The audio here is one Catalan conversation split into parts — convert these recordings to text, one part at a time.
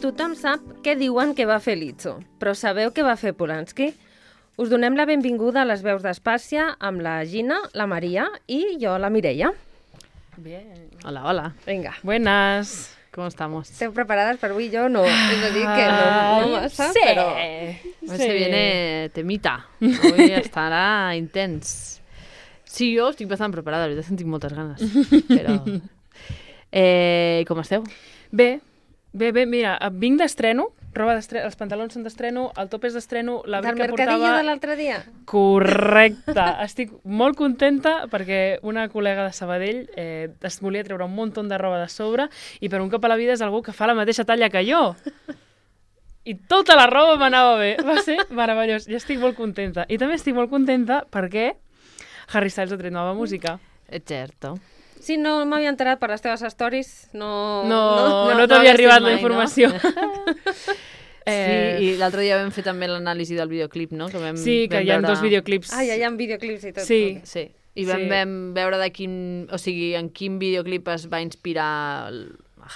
Tothom sap què diuen que va fer Lizzo, però sabeu què va fer Polanski? Us donem la benvinguda a les veus d'Espàcia amb la Gina, la Maria i jo, la Mireia. Bien. Hola, hola. Vinga. Buenas. ¿Cómo estamos? ¿Esteu preparades per avui? Jo no. És a dir, que no massa, sí. però... Hoy se viene temita. Hoy estarà intens. Sí, jo estic bastant preparada, la veritat, tinc moltes ganes. Però... com esteu? Bé, mira, vinc d'estreno, roba d'estreno, els pantalons són d'estreno, el top és d'estreno, l'abric que portava... Del mercadillo de l'altre dia? Correcte. Estic molt contenta perquè una col·lega de Sabadell es volia treure un munt de roba de sobre i per un cop a la vida és algú que fa la mateixa talla que jo. I tota la roba m'anava bé. Va ser meravellós. I estic molt contenta. I també estic molt contenta perquè Harry Styles ha tret nova música. És certo. Sí, no m'havia enterat per les teves stories. No t'havia arribat mai, la informació. No? Sí, i l'altre dia vam fer també l'anàlisi del videoclip, no? Que vam, sí, que hi ha dos videoclips. Ah, ja hi ha videoclips i tot. Sí. I vam veure en quin videoclip es va inspirar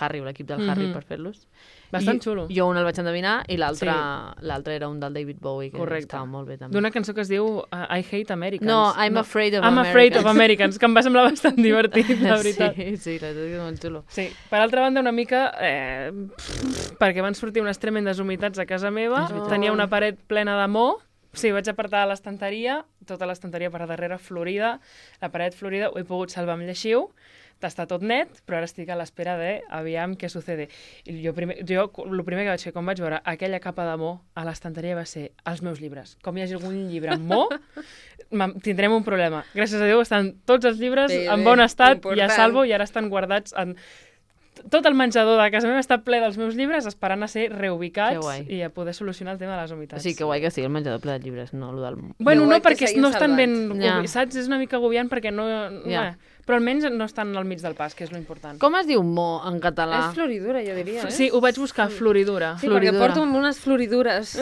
Harry, l'equip del Harry, per fer-los. Bastant xulo. Jo un el vaig endevinar i l'altre era un del David Bowie, que estava molt bé també. D'una cançó que es diu I Hate Americans. No, I'm Afraid of I'm Americans. Afraid of Americans, que em va semblar bastant divertit, la veritat. Sí, la veritat és molt xulo. Sí, per altra banda, una mica... perquè van sortir unes tremendes humitats a casa meva, tenia una paret plena de mo, sí, vaig apartar l'estanteria, tota l'estanteria per darrere florida, la paret florida, ho he pogut salvar amb lleixiu, està tot net, però ara estic a l'espera de aviam què sucede. I jo el primer que vaig fer quan vaig veure aquella capa de mo a l'estanteria va ser els meus llibres. Com hi hagi algun llibre amb mo, tindrem un problema. Gràcies a Déu estan tots els llibres en bon estat i a salvo i ara estan guardats en... Tot el menjador de casa meva està ple dels meus llibres esperant a ser reubicats i a poder solucionar el tema de les humitats. Sí, que guai que sigui el menjador ple de llibres, no el del... Bueno, no, perquè no estan ben... Saps? És una mica agobiant perquè no... Però almenys no estan al mig del pas, que és l'important. Com es diu mo en català? És floridura, jo diria. Sí, ho vaig buscar, floridura. Sí, perquè porto unes floridures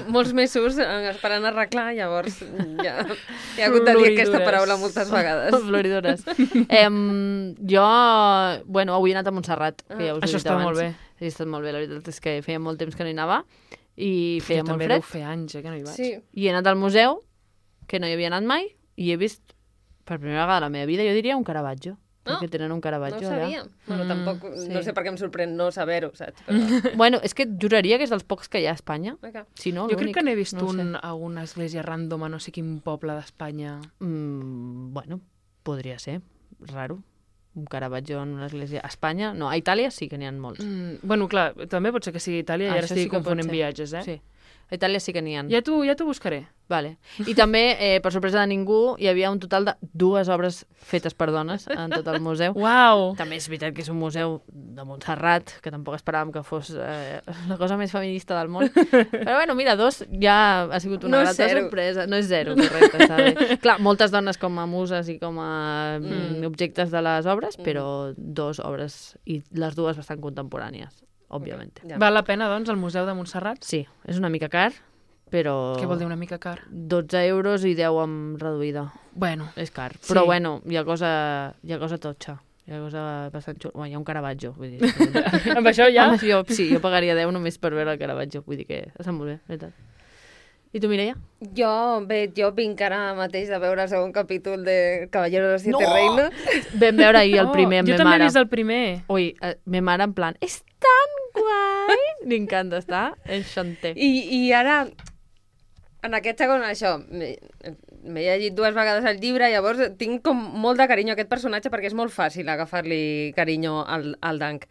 molts mesos esperant arreglar, llavors ja he hagut de dir aquesta paraula moltes vegades. Floridures. Jo, bueno, avui he anat a Montserrat, que ja us he dit abans. Això està molt bé. Ha estat molt bé, la veritat és que feia molt temps que no hi anava i feia molt fred. Jo també deu fer anys que no hi vaig. Sí. I he anat al museu, que no hi havia anat mai, i he vist per primera vegada a la meva vida, jo diria un Caravaggio. Perquè tenen un Caravaggio allà. No ho sabia. Bueno, tampoc, no sé per què em sorprèn no saber-ho, saps? Però... Bueno, és que juraria que és dels pocs que hi ha a Espanya. Si no, jo crec que n'he vist a una església random a no sé quin poble d'Espanya. Bueno, podria ser. Raro. Un Caravaggio en una església. A Espanya, no. A Itàlia sí que n'hi ha molts. Bueno, clar, també pot ser que sigui a Itàlia i ara estic confonent viatges, Sí. A Itàlia sí que n'hi ha. Ja t'ho buscaré. Vale. I també, per sorpresa de ningú, hi havia un total de 2 obres fetes per dones en tot el museu. Uau! També és veritat que és un museu de Montserrat, que tampoc esperàvem que fos la cosa més feminista del món. Però bueno, mira, 2 ja ha sigut una grata sorpresa. No és 0, correcte, està bé. Clar, moltes dones com a muses i com a objectes de les obres, però 2 obres, i les 2 bastant contemporànies, òbviament. Val la pena, doncs, el Museu de Montserrat? Sí, és una mica car, però... Què vol dir una mica car? 12 euros i 10 amb reduïda. Bueno. És car. Però bueno, hi ha cosa totxa. Hi ha cosa bastant xula. Bueno, hi ha un Caravaggio, vull dir. Amb això ja? Jo pagaria 10 només per veure el Caravaggio. Vull dir que està molt bé, veritat. I tu, Mireia? Jo vinc ara mateix de veure el segon capítol de Caballero de los Siete Reinos. Vam veure ahir el primer amb me mare. Jo també he vist el primer. Ui, me mare en plan, és tan guai! M'encanta, està enchanté. I ara... En aquest segon, això, m'he llegit 2 vegades el llibre, llavors tinc com molt de carinyo a aquest personatge perquè és molt fàcil agafar-li carinyo al Dunk.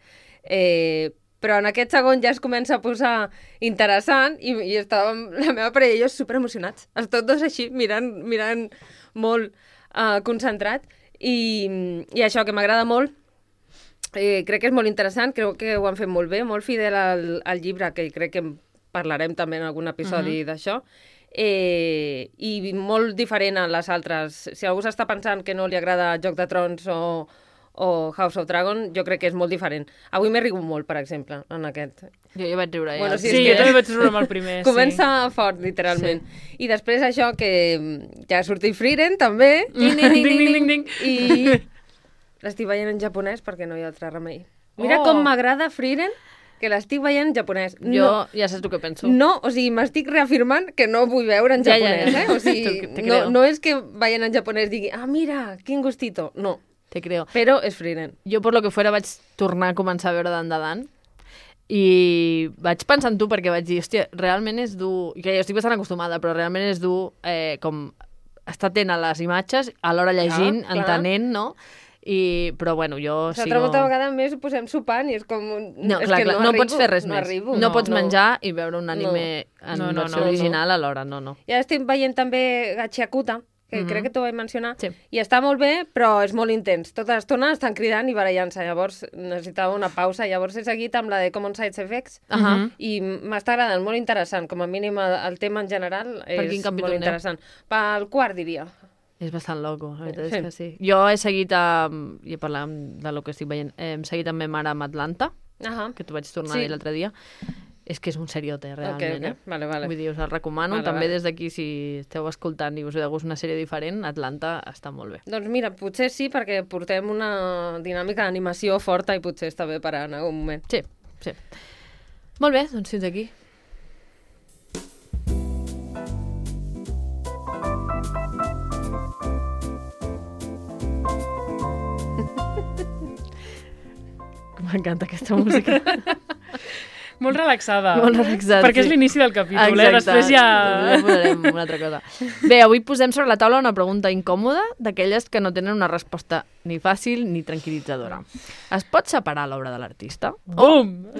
Però en aquest segon ja es comença a posar interessant i estàvem, la meva parella i jo superemocionats. Els tots dos així, mirant molt concentrat. I això, que m'agrada molt, crec que és molt interessant, crec que ho han fet molt bé, molt fidel al llibre, que crec que parlarem també en algun episodi d'això. I molt diferent a les altres. Si algú s'està pensant que no li agrada Joc de Trons o House of Dragon, jo crec que és molt diferent. Avui m'he rigut molt, per exemple, en aquest. Jo vaig riure. Bueno, sí, jo també vaig riure amb el primer. Comença fort, literalment. I després això, que ja ha sortit Frieren, també. Ding. I l'estic veient en japonès perquè no hi ha altre remei. Mira com m'agrada Frieren, que l'estic veient en japonès. Jo ja saps el que penso. No, o sigui, m'estic reafirmant que no vull veure en japonès, ja. O sigui, no és que veient en japonès digui, mira, quin gustito. No. Te creo. Però és Frieren. Jo, per lo que fuera, vaig tornar a començar a veure Dan i vaig pensar en tu perquè vaig dir, hòstia, realment és dur, que jo estic bastant acostumada, però realment és dur com estar atent a les imatges, alhora llegint, entenent, no? Però bueno, jo L'altra molta vegada més ho posem sopant i és com... No, clar, no pots fer res més. No pots menjar i veure un anime en versió original alhora, no. I ara estic veient també Gachiakuta, que crec que t'ho vaig mencionar, sí. I està molt bé, però és molt intens. Tota l'estona estan cridant i barallant-se, llavors necessitava una pausa, llavors he seguit amb la de Common Side Effects, i m'està agradant, molt interessant, com a mínim el tema en general és molt interessant. Pel quart, diria. És bastant loco, la veritat és que sí. Jo he seguit, i parlàvem de lo que estic veient, hem seguit amb ma mare amb Atlanta, que t'ho vaig tornar a dir l'altre dia. És que és un seriote, realment. Okay. Vale. Vull dir, us el recomano. També des d'aquí, si esteu escoltant i us ve de gust una sèrie diferent, Atlanta està molt bé. Doncs mira, potser sí, perquè portem una dinàmica d'animació forta i potser està bé parar en algun moment. Sí. Molt bé, doncs fins aquí. M'encanta aquesta música. Molt relaxada. Molt relaxada, perquè és l'inici del capítol, Després ja posarem una altra cosa. Bé, avui posem sobre la taula una pregunta incòmoda d'aquelles que no tenen una resposta ni fàcil ni tranquil·litzadora. Es pot separar l'obra de l'artista?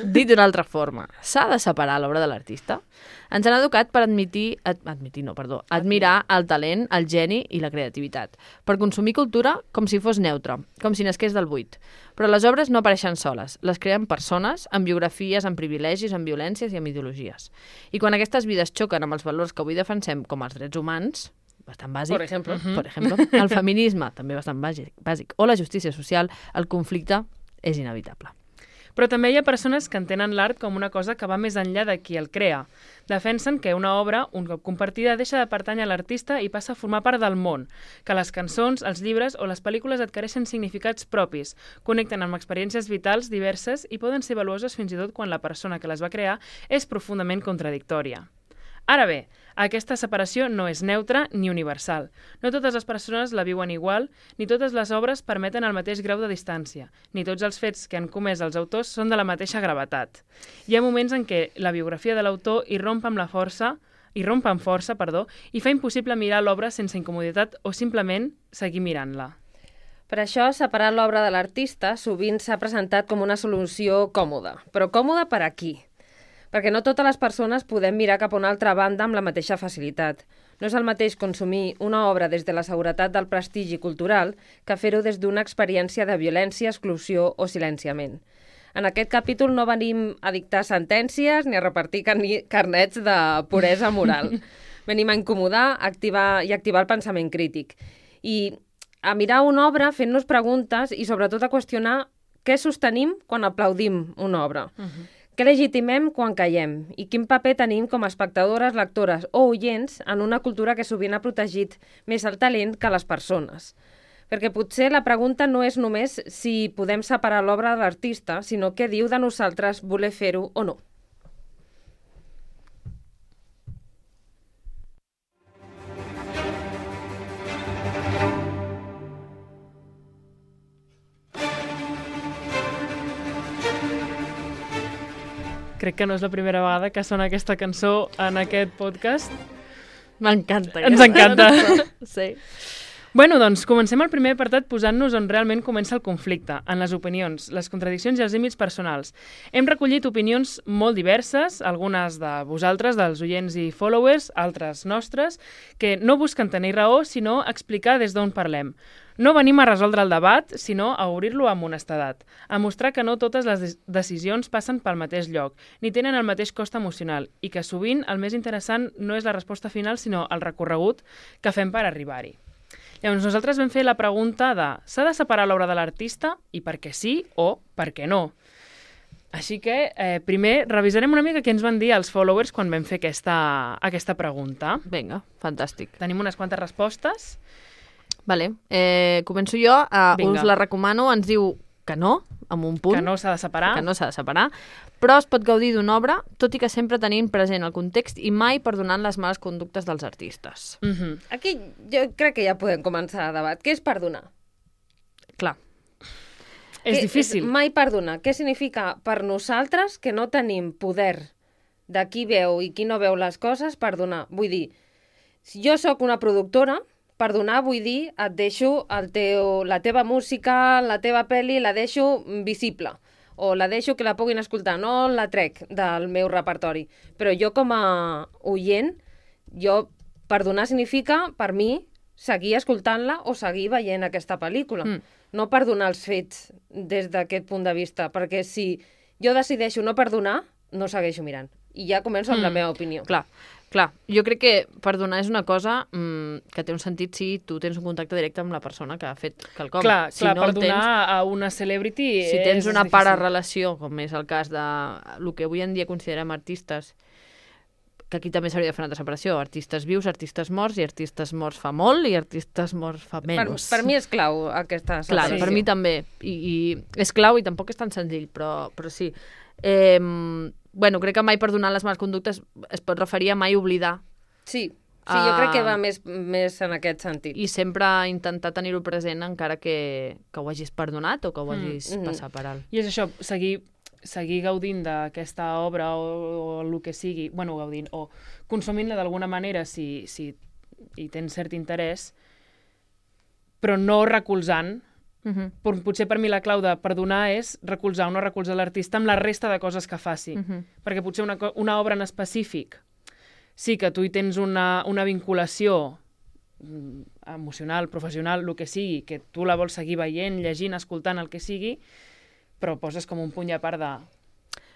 Dit d'una altra forma, s'ha de separar l'obra de l'artista? Ens han educat per admirar el talent, el geni i la creativitat, per consumir cultura com si fos neutra, com si nasqués del buit. Però les obres no apareixen soles, les creen persones amb biografies, amb privilegis, amb violències i amb ideologies. I quan aquestes vides xoquen amb els valors que avui defensem com els drets humans, bastant bàsic, per exemple, el feminisme, també bastant bàsic, o la justícia social, el conflicte és inevitable. Però també hi ha persones que entenen l'art com una cosa que va més enllà de qui el crea. Defensen que una obra, un cop compartida, deixa de pertànyer a l'artista i passa a formar part del món, que les cançons, els llibres o les pel·lícules adquireixen significats propis, connecten amb experiències vitals diverses i poden ser valuoses fins i tot quan la persona que les va crear és profundament contradictòria. Ara bé, aquesta separació no és neutra ni universal. No totes les persones la viuen igual, ni totes les obres permeten el mateix grau de distància, ni tots els fets que han comès els autors són de la mateixa gravetat. Hi ha moments en què la biografia de l'autor irromp amb força i fa impossible mirar l'obra sense incomoditat o simplement seguir mirant-la. Per això, separar l'obra de l'artista sovint s'ha presentat com una solució còmoda. Però còmoda per a qui? Perquè no totes les persones podem mirar cap a una altra banda amb la mateixa facilitat. No és el mateix consumir una obra des de la seguretat del prestigi cultural que fer-ho des d'una experiència de violència, exclusió o silenciament. En aquest capítol no venim a dictar sentències ni a repartir carnets de puresa moral. Venim a incomodar activar el pensament crític. I a mirar una obra fent-nos preguntes i sobretot a qüestionar què sostenim quan aplaudim una obra. Què legitimem quan callem? I quin paper tenim com a espectadores, lectores o oients en una cultura que sovint ha protegit més el talent que les persones? Perquè potser la pregunta no és només si podem separar l'obra de l'artista, sinó què diu de nosaltres voler fer-ho o no. Crec que no és la primera vegada que sona aquesta cançó en aquest podcast. M'encanta. Ens encanta. Sí. Bueno, doncs comencem el primer apartat posant-nos on realment comença el conflicte, en les opinions, les contradiccions i els límits personals. Hem recollit opinions molt diverses, algunes de vosaltres, dels oients i followers, altres nostres, que no busquen tenir raó, sinó explicar des d'on parlem. No venim a resoldre el debat, sinó a obrir-lo amb honestedat, a mostrar que no totes les decisions passen pel mateix lloc, ni tenen el mateix cost emocional, i que sovint el més interessant no és la resposta final, sinó el recorregut que fem per arribar-hi. Llavors, nosaltres vam fer la pregunta de s'ha de separar l'obra de l'artista i per què sí o per què no? Així que primer revisarem una mica què ens van dir els followers quan vam fer aquesta pregunta. Vinga, fantàstic. Tenim unes quantes respostes. Vale. Començo jo. Us la recomano. Ens diu que no, amb un punt. Que no s'ha de separar. Que no s'ha de separar, però es pot gaudir d'una obra, tot i que sempre tenint present el context i mai perdonant les males conductes dels artistes. Aquí jo crec que ja podem començar el debat. Què és perdonar? Clar. És difícil. Mai perdonar. Què significa per nosaltres que no tenim poder de qui veu i qui no veu les coses, perdonar? Vull dir, si jo sóc una productora, perdonar vull dir et deixo la teva música, la teva pel·li, la deixo visible o la deixo que la puguin escoltar, no la trec del meu repertori. Però jo com a oient, perdonar significa, per mi, seguir escoltant-la o seguir veient aquesta pel·lícula. No perdonar els fets des d'aquest punt de vista, perquè si jo decideixo no perdonar, no segueixo mirant. I ja començo amb la meva opinió. Clar. Jo crec que perdonar és una cosa que té un sentit si tu tens un contacte directe amb la persona que ha fet quelcom. Clar, si no perdonar a una celebrity si tens una pararelació, com és el cas de el que avui en dia considerem artistes, que aquí també s'hauria de fer una altra separació, artistes vius, artistes morts, i artistes morts fa molt i artistes morts fa menys. Per mi és clau aquesta separació. Clar, per mi també. I és clau i tampoc és tan senzill, però sí. Bueno, crec que mai perdonar les males conductes es pot referir a mai oblidar. Sí, jo crec que va més en aquest sentit. I sempre intentar tenir-ho present encara que ho hagis perdonat o que ho hagis passat per alt. I és això, seguir gaudint d'aquesta obra o el que sigui, bueno, gaudint, o consumint-la d'alguna manera si hi tens cert interès, però no recolzant. Potser per mi la clau de perdonar és recolzar o no recolzar l'artista amb la resta de coses que faci. Perquè potser una obra en específic sí que tu hi tens una vinculació emocional, professional, el que sigui, que tu la vols seguir veient, llegint, escoltant, el que sigui, però poses com un puny a part de...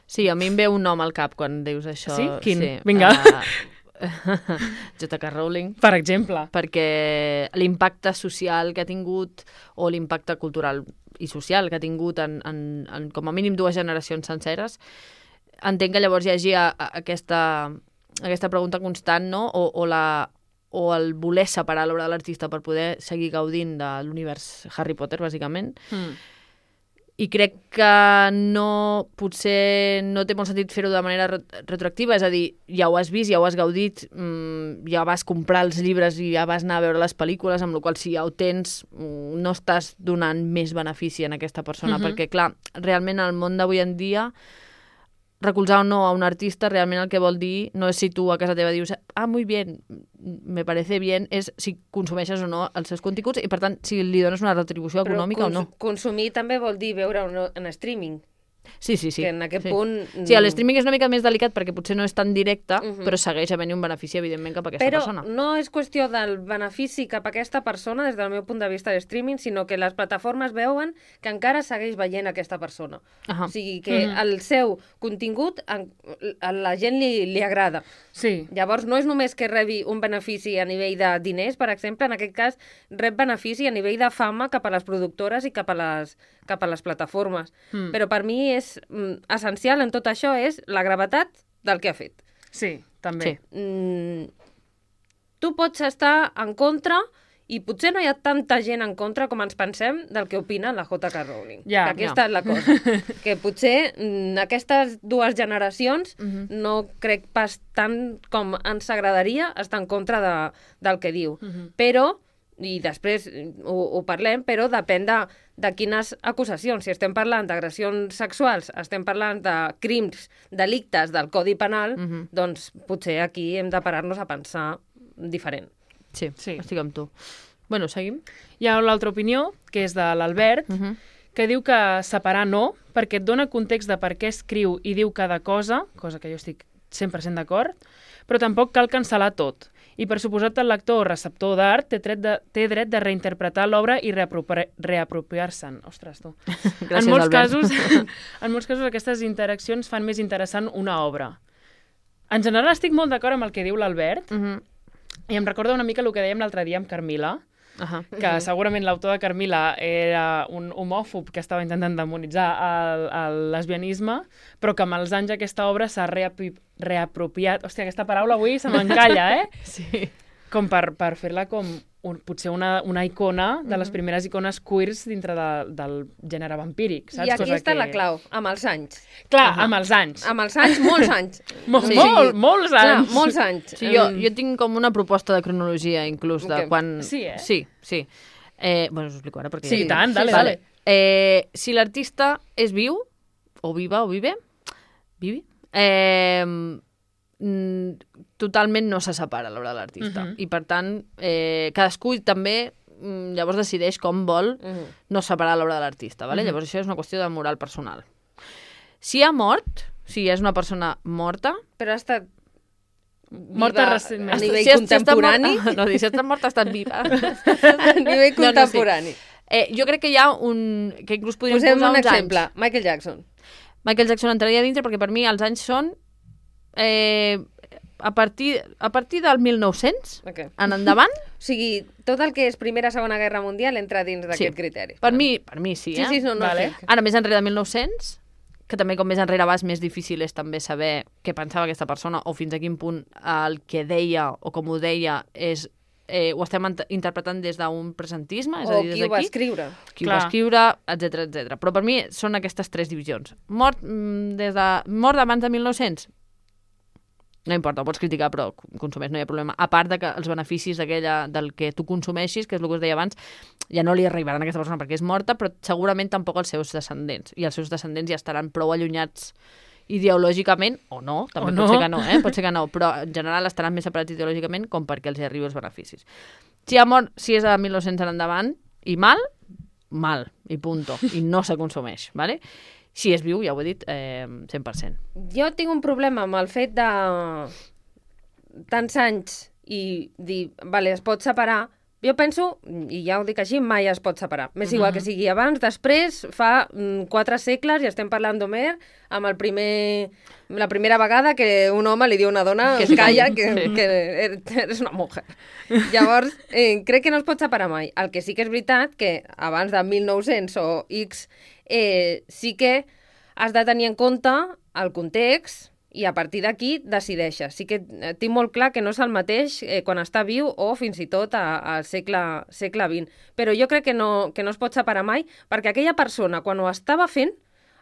Sí, a mi em ve un nom al cap quan dius això. Sí? Quin? Sí. Vinga. J.K. Rowling. Per exemple. Perquè l'impacte social que ha tingut, o l'impacte cultural i social que ha tingut en com a mínim 2 generacions senceres, entenc que llavors hi hagi aquesta pregunta constant, no? O el voler separar l'obra de l'artista per poder seguir gaudint de l'univers Harry Potter, bàsicament. I crec que potser no té molt sentit fer-ho de manera retroactiva, és a dir, ja ho has vist, ja ho has gaudit, ja vas comprar els llibres i ja vas anar a veure les pel·lícules, amb la qual si ja ho tens no estàs donant més benefici a aquesta persona, perquè clar, realment el món d'avui en dia, recolzar o no a un artista realment el que vol dir no és si tu a casa teva dius muy bien, me parece bien, és si consumeixes o no els seus continguts i per tant si li dones una retribució econòmica o no. Consumir també vol dir veure en streaming. Sí. Que en aquest punt... Sí, el streaming és una mica més delicat perquè potser no és tan directe, però segueix havent un benefici, evidentment, cap a aquesta persona. Però no és qüestió del benefici cap a aquesta persona des del meu punt de vista de streaming, sinó que les plataformes veuen que encara segueix veient aquesta persona. O sigui, que el seu contingut a la gent li agrada. Sí. Llavors, no és només que rebi un benefici a nivell de diners, per exemple, en aquest cas, rep benefici a nivell de fama cap a les productores i cap a les plataformes. Però per mi és essencial en tot això és la gravetat del que ha fet. Sí, també. Tu pots estar en contra i potser no hi ha tanta gent en contra com ens pensem del que opina la J.K. Rowling. Aquesta és la cosa. Que potser aquestes 2 generacions no crec pas tant com ens agradaria estar en contra del que diu. Però, i després ho parlem, però depèn de quines acusacions. Si estem parlant d'agressions sexuals, estem parlant de crims, delictes del Codi Penal, doncs potser aquí hem de parar-nos a pensar diferent. Sí, estic amb tu. Bueno, seguim. Hi ha l'altra opinió, que és de l'Albert, que diu que separar no, perquè et dona context de per què escriu i diu cada cosa que jo estic 100% d'acord, però tampoc cal cancel·lar tot. I per suposat el lector o receptor d'art té dret de reinterpretar l'obra i reapropiar-se'n. Ostres, tu. Gràcies, en molts Albert. En molts casos aquestes interaccions fan més interessant una obra. En general estic molt d'acord amb el que diu l'Albert, i em recorda una mica el que dèiem l'altre dia amb Carmila, que segurament l'autor de Carmila era un homòfob que estava intentant demonitzar el lesbianisme, però que amb els anys aquesta obra s'ha reapropiat... Hòstia, aquesta paraula avui se m'encalla, Sí. Com per fer-la com potser una icona de les primeres icones queers dintre del gènere vampíric, saps? I aquí està la clau, amb els anys. Clar, amb els anys. Amb els anys, molts anys. Molts anys. Clar, molts anys. Sí, jo tinc com una proposta de cronologia, inclús, de quan... Sí, eh? Sí. Bueno, us ho explico ara, perquè... Sí, tant, dale. Si l'artista és viu, o viva, o vive, totalment no se separa a l'obra de l'artista. I, per tant, cadascú també llavors decideix com vol no separar l'obra de l'artista. Vale? Llavors això és una qüestió de moral personal. Si ha mort, si és una persona morta... Però ha estat... Morta recentment. A nivell contemporani? No, si ha estat morta, ha estat viva. A nivell contemporani. Jo crec que hi ha que inclús podríem posem posar un uns exemple. anys. Michael Jackson. Michael Jackson entraria dintre perquè per mi els anys són a partir del 1900 en endavant. O sigui, tot el que és Primera, Segona Guerra Mundial entra dins d'aquest criteri. Per mi sí, eh? Sí, no, vale. Ara, més enrere de 1900, que també com més enrere vas, més difícil és també saber què pensava aquesta persona o fins a quin punt el que deia o com ho deia ho estem interpretant des d'un presentisme, és a dir, des d'aquí. O qui ho va escriure. Qui ho va escriure, etc. Però per mi són aquestes tres divisions. Mort d'abans de 1900? No importa, ho pots criticar, però consumeix, no hi ha problema. A part de que els beneficis del que tu consumeixis, que és el que us deia abans, ja no li arribaran a aquesta persona perquè és morta, però segurament tampoc als seus descendents. I els seus descendents ja estaran prou allunyats ideològicament, o no, també pot ser que no, pot ser que no, però en general estaran més separats ideològicament com perquè els hi arribi els beneficis. Si és de 1900 en endavant, i mal, i punto, i no se consumeix, ¿vale? Si és viu, ja ho he dit, 100%. Jo tinc un problema amb el fet de tants anys i dir, vale, es pot separar. Jo penso, i ja ho dic així, mai es pot separar. M'és igual que sigui abans, després, fa 4 segles, i estem parlant d'Homer, amb la primera vegada que un home li diu a una dona que calla, que eres una mujer. Llavors, crec que no es pot separar mai. El que sí que és veritat que abans de 1900 o X sí que has de tenir en compte el context i a partir d'aquí decideixes. Sí que tinc molt clar que no és el mateix quan està viu o fins i tot al segle XX. Però jo crec que no es pot separar mai perquè aquella persona, quan ho estava fent,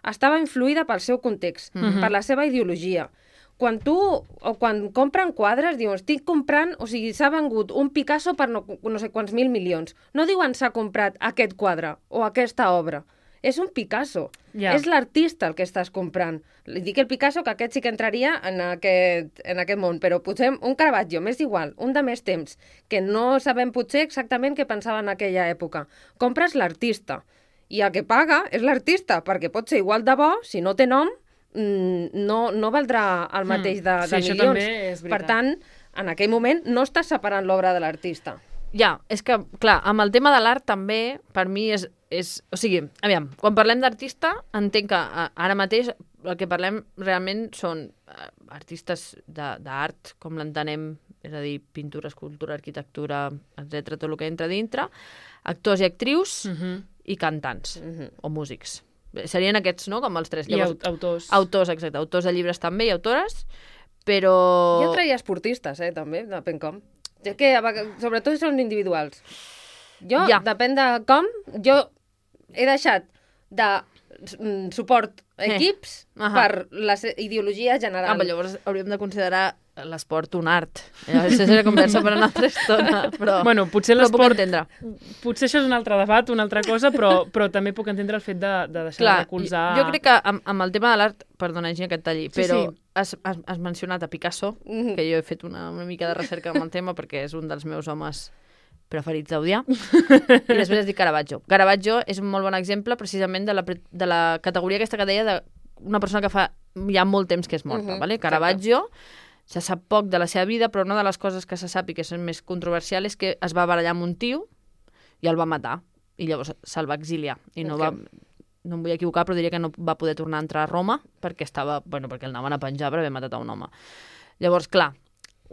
estava influïda pel seu context, per la seva ideologia. Quan compren quadres, diuen, estic comprant, o sigui, s'ha vengut un Picasso per no sé quants mil milions. No diuen s'ha comprat aquest quadre o aquesta obra. És un Picasso. És l'artista el que estàs comprant. Li dic el Picasso, que aquest sí que entraria en aquest món, però potser un Caravaggio, m'és igual, un de més temps, que no sabem potser exactament què pensava en aquella època. Compres l'artista, i el que paga és l'artista, perquè pot ser igual de bo, si no té nom, no valdrà el mateix de milions. Això també és veritat. Per tant, en aquell moment no estàs separant l'obra de l'artista. Ja, és que, clar, amb el tema de l'art també, per mi o sigui, aviam, quan parlem d'artista, entenc que ara mateix el que parlem realment són artistes d'art, com l'entenem, és a dir, pintura, escultura, arquitectura, etc, tot el que entra dintre, actors i actrius i cantants, o músics. Serien aquests, no?, com els tres. Llavors, i autors. Autors, exacte. Autors de llibres també i autores, però... Jo traia esportistes, també, depèn com. És que, sobretot, són individuals. Jo, depèn de com, jo he deixat de suport equips per la ideologia general. Però llavors hauríem de considerar l'esport un art. Això seria conversa per una altra estona. Però, bueno, potser l'esport... entendre. Potser això és un altre debat, una altra cosa, però també puc entendre el fet de deixar de recolzar... Jo crec que amb el tema de l'art, perdona, Gina, que et talli, però has mencionat a Picasso, que jo he fet una mica de recerca amb el tema perquè és un dels meus homes preferits d'audiar, i després has dit Caravaggio. Caravaggio és un molt bon exemple precisament de la categoria aquesta que deia d'una persona que fa ja molt temps que és morta. Vale? Caravaggio se sap poc de la seva vida, però una de les coses que se sap i que són més controversials és que es va barallar amb un tio i el va matar, i llavors se'l va exiliar. I no em vull equivocar, però diria que no va poder tornar a entrar a Roma perquè el anaven a penjar per haver matat a un home. Llavors, clar,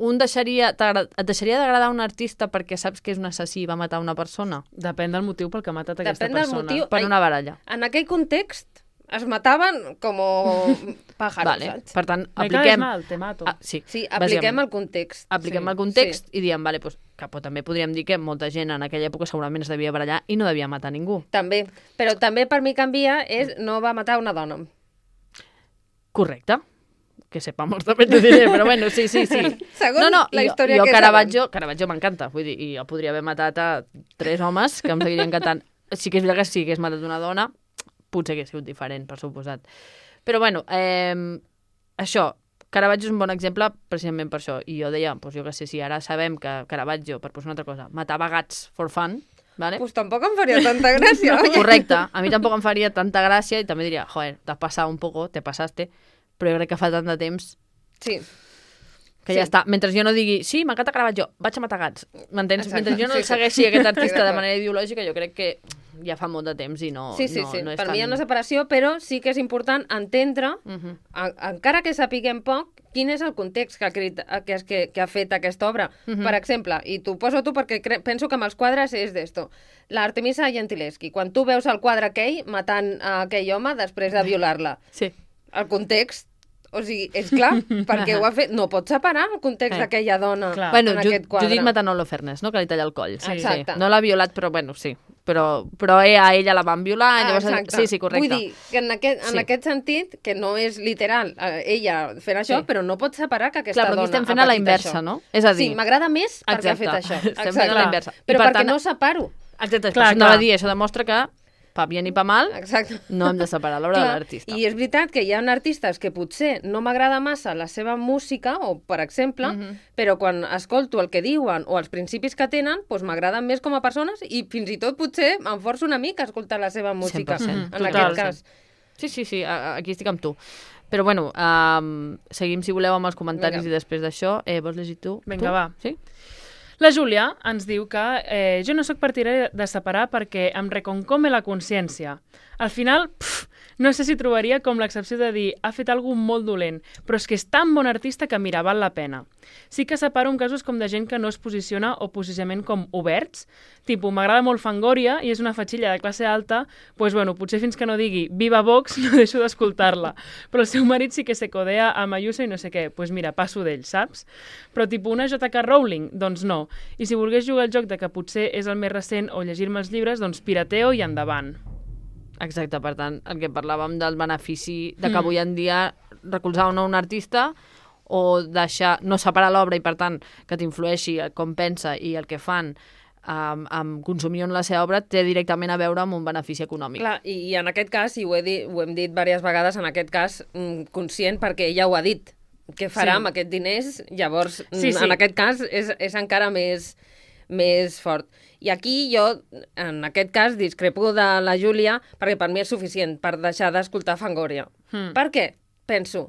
et deixaria d'agradar un artista perquè saps que és un assassí i va matar una persona? Depèn del motiu pel que ha matat aquesta persona. Per una baralla. En aquell context, es mataven com pájaros, Vale. saps? Per tant, Me caes apliquem... mal, te mato. Sí, Sí, apliquem el context. Apliquem el context i diem, vale, pues, que també podríem dir que molta gent en aquella època segurament es devia barallar i no devia matar ningú. També, però també per mi canvia és no va matar una dona. Correcte. Que sepamos també t'ho diré, però bueno, sí. Segons la història jo que Caravaggio m'encanta, vull dir, i jo podria haver matat a 3 homes que em seguirien encantant. Sí que és veritat que si hagués matat una dona, potser hagués sigut diferent, per suposat. Però bueno, això, Caravaggio és un bon exemple precisament per això. I jo deia, doncs jo que sé, si ara sabem que Caravaggio, per posar una altra cosa, matava gats for fun, vale? Pues tampoc em faria tanta gràcia. Correcte, a mi tampoc em faria tanta gràcia i també diria, joder, t'has passat un poco, te pasaste, però jo crec que fa tant de temps Sí. que ja està. Mentre jo no digui, sí, m'encanta Caravaggio, vaig a matar gats. M'entens? Exacte. Mentre jo no Sí, sí. segueixi aquest artista de d'acord. manera ideològica, jo crec que ja fa molt de temps i no, Sí. no és Per tan... mi hi ha una separació, però sí que és important entendre, encara que sapiguem poc, quin és el context que ha fet aquesta obra. Per exemple, i t'ho poso tu perquè penso que amb els quadres és d'esto. L'Artemisa Gentileschi, quan tu veus el quadre aquell matant a aquell home després de violar-la, Sí. el context, o sigui, és clar, perquè ho ha fet... No pots separar el context d'aquella dona Clar. Bueno, en aquest quadre. Judit Matanolo Fernes, no? Que li talla el coll. Sí. Exacte. No l'ha violat, però bueno, sí. Però a ella la van violar. Llavors... Exacte. Sí, correcte. Vull dir que en aquest sentit, que no és literal ella fent això, però no pots separar que aquesta Clar, però dona aquí estem fent ha a la patit inversa, això. no? És a dir... Sí, m'agrada més perquè ha fet Exacte. això. Estem fent a la inversa. I Però per perquè tant- no separo. Exacte, Clar, anava clar. a dir, això demostra que pa bien i pa mal Exacte. no hem de separar l'obra de Clar, l'artista. I és veritat que hi ha artistes que potser no m'agrada massa la seva música, o per exemple, però quan escolto el que diuen o els principis que tenen, doncs m'agraden més com a persones i fins i tot potser em forço una mica a escoltar la seva música. 100%. En Total. aquest cas. Sí, aquí estic amb tu. Però bueno, seguim, si voleu, amb els comentaris Vinga. i després d'això. Vols llegir tu? Vinga, tu? va. Sí? La Júlia ens diu que jo no sóc partidària de separar perquè em reconcome la consciència. Al final, no sé si trobaria com l'excepció de dir ha fet alguna molt dolent, però és que és tan bon artista que, mira, val la pena. Sí que separo en casos com de gent que no es posiciona o posicionament com oberts, tipus, m'agrada molt Fangoria i és una fatxilla de classe alta, doncs, bueno, potser fins que no digui viva Vox no deixo d'escoltar-la. Però el seu marit sí que se codea amb Ayuso i no sé què, doncs mira, passo d'ell, saps? Però tipus una J.K. Rowling, doncs no. I si volgués jugar al joc de que potser és el més recent o llegir-me els llibres, doncs pirateo i endavant. Exacte, per tant, el que parlàvem del benefici de que avui en dia recolzar o no un artista o deixar, no separar l'obra i, per tant, que t'influeixi com pensa i el que fan amb consumir la seva obra té directament a veure amb un benefici econòmic. Clar, i en aquest cas, i ho hem dit diverses vegades, en aquest cas conscient perquè ella ho ha dit, què farà amb aquests diners, llavors en aquest cas és encara més fort. I aquí jo, en aquest cas, discrepo de la Júlia perquè per mi és suficient per deixar d'escoltar Fangoria. Per què? Penso,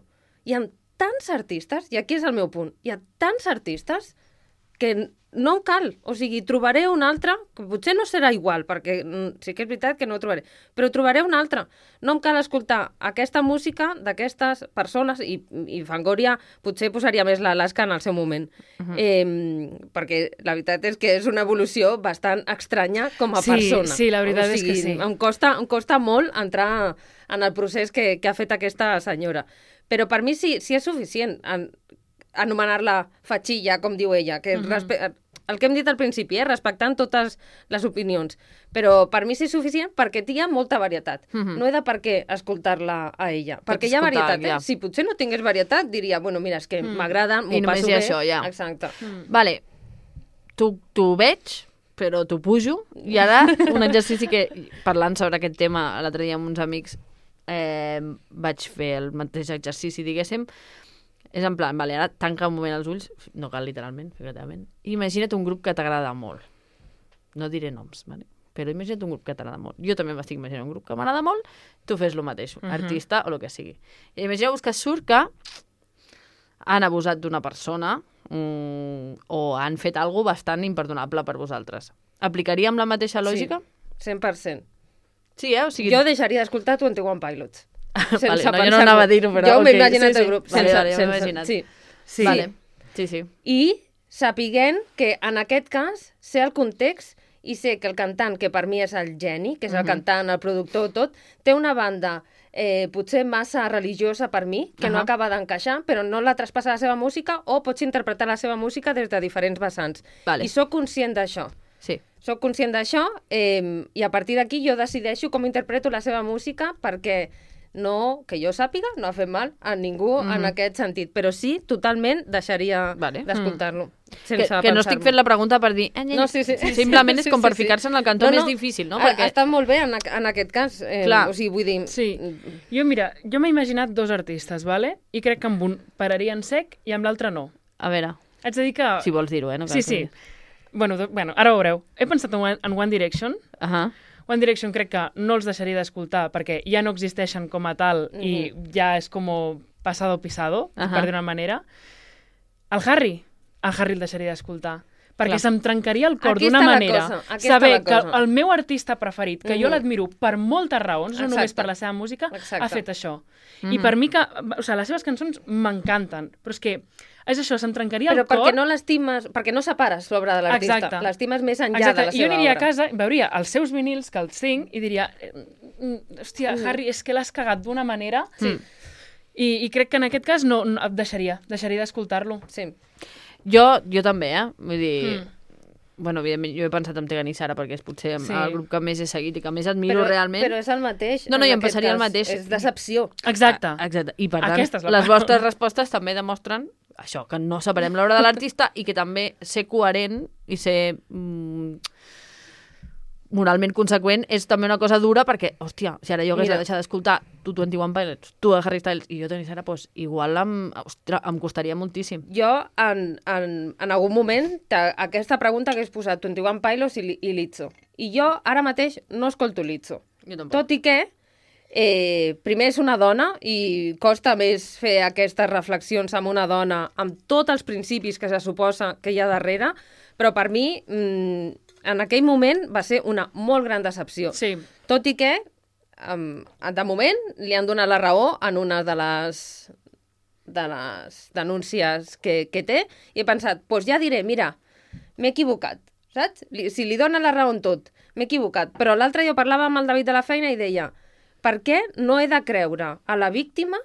hi ha tants artistes, i aquí és el meu punt, hi ha tants artistes que no em cal, o sigui, trobaré un altre, que potser no serà igual, perquè sí que és veritat que no ho trobaré, però trobaré un altre. No em cal escoltar aquesta música d'aquestes persones, i Fangoria potser posaria més l'Alaska en el seu moment, perquè la veritat és que és una evolució bastant estranya com a persona. Sí, la veritat és que sí. Em costa molt entrar en el procés que ha fet aquesta senyora. Però per mi sí és suficient anomenar-la fatxilla, com diu ella, que el que hem dit al principi, respectant totes les opinions. Però per mi sí és suficient perquè hi ha molta varietat. No he de per què escoltar-la a ella. Perquè hi ha varietat, Si potser no tingués varietat, diria, bueno, mira, és que m'agrada, m'ho passo bé. Això, ja. Exacte. Vale, t'ho veig, però t'ho pujo. I ara, un exercici que, parlant sobre aquest tema l'altre dia amb uns amics, vaig fer el mateix exercici, diguéssim. És en plan, vale, ara tanca un moment els ulls, no cal literalment, figurativament. Imagina't un grup que t'agrada molt. No diré noms, vale? Però imagina't un grup que t'agrada molt. Jo també m'estic imaginant un grup que m'agrada molt, tu fes el mateix, artista o el que sigui. I imagineu-vos que surt que han abusat d'una persona o han fet alguna bastant imperdonable per vosaltres. Aplicaríem la mateixa lògica? Sí, 100%. Sí, O sigui... Jo deixaria d'escoltar 21 Pilots. Vale, no, jo no anava a dir-ho, però... Jo m'he imaginat el grup. Vale, jo m'he imaginat. Sí. Vale. Sí. I sapiguent que en aquest cas sé el context i sé que el cantant, que per mi és el geni, que és el cantant, el productor, tot, té una banda potser massa religiosa per mi, que no acaba d'encaixar, però no la traspassa la seva música, o pots interpretar la seva música des de diferents vessants. Vale. I sóc conscient d'això. Sí. Soc conscient d'això i a partir d'aquí jo decideixo com interpreto la seva música perquè no, que jo sàpiga, no ha fet mal a ningú en aquest sentit, però sí, totalment deixaria d'escoltar-lo. Que no estic fent la pregunta per dir... No, sí. Simplement és com per ficar-se en el cantó més difícil, no? Perquè... Està molt bé en aquest cas. O sigui, vull dir... Sí. Jo m'he imaginat dos artistes, vale? I crec que amb un pararia en sec i amb l'altre no. A veure... Haig de dir que... Si vols dir-ho, no? Sí. Bueno, ara ho veureu. He pensat en One Direction. One Direction crec que no els deixaria d'escoltar perquè ja no existeixen com a tal i ja és com pasado pisado, per dir una manera. El Harry el deixaria d'escoltar. Perquè se'm trencaria el cor d'una manera saber que el meu artista preferit, que jo l'admiro per moltes raons, no només per la seva música, ha fet això. I per mi que... O sigui, les seves cançons m'encanten, però és que és això, se'm trencaria el cor... Però perquè no l'estimes, perquè no separes l'obra de l'artista. L'estimes més enllà de la seva obra. Jo aniria a casa, veuria els seus vinils, que els tinc, i diria, hòstia, Harry, és que l'has cagat d'una manera... I crec que en aquest cas no deixaria d'escoltar-lo. Sí. Jo també, Vull dir... Bueno, evidentment, jo he pensat en Tegan i Sara perquè és potser el grup que més he seguit i que més admiro realment. Però és el mateix. No, i em passaria el mateix. És decepció. Exacte. I per tant, les vostres respostes també demostren això, que no separem l'obra de l'artista i que també ser coherent i ser moralment conseqüent és també una cosa dura perquè, hòstia, si ara jo hagués de deixar d'escoltar tu 21 Pilots, tu Harry Styles i jo Toni Sara, doncs igual em costaria moltíssim. Jo, en algun moment, aquesta pregunta hagués posat 21 Pilots i Lizzo. I jo, ara mateix, no escolto Lizzo. Tot i que primer és una dona i costa més fer aquestes reflexions amb una dona amb tots els principis que se suposa que hi ha darrere, però per mi en aquell moment va ser una molt gran decepció. Sí. Tot i que, de moment, li han donat la raó en una de les denúncies que té i he pensat, doncs ja diré, mira, m'he equivocat, saps? Si li donen la raó en tot, m'he equivocat. Però l'altre jo parlava amb el David de la feina i deia, per què no he de creure a la víctima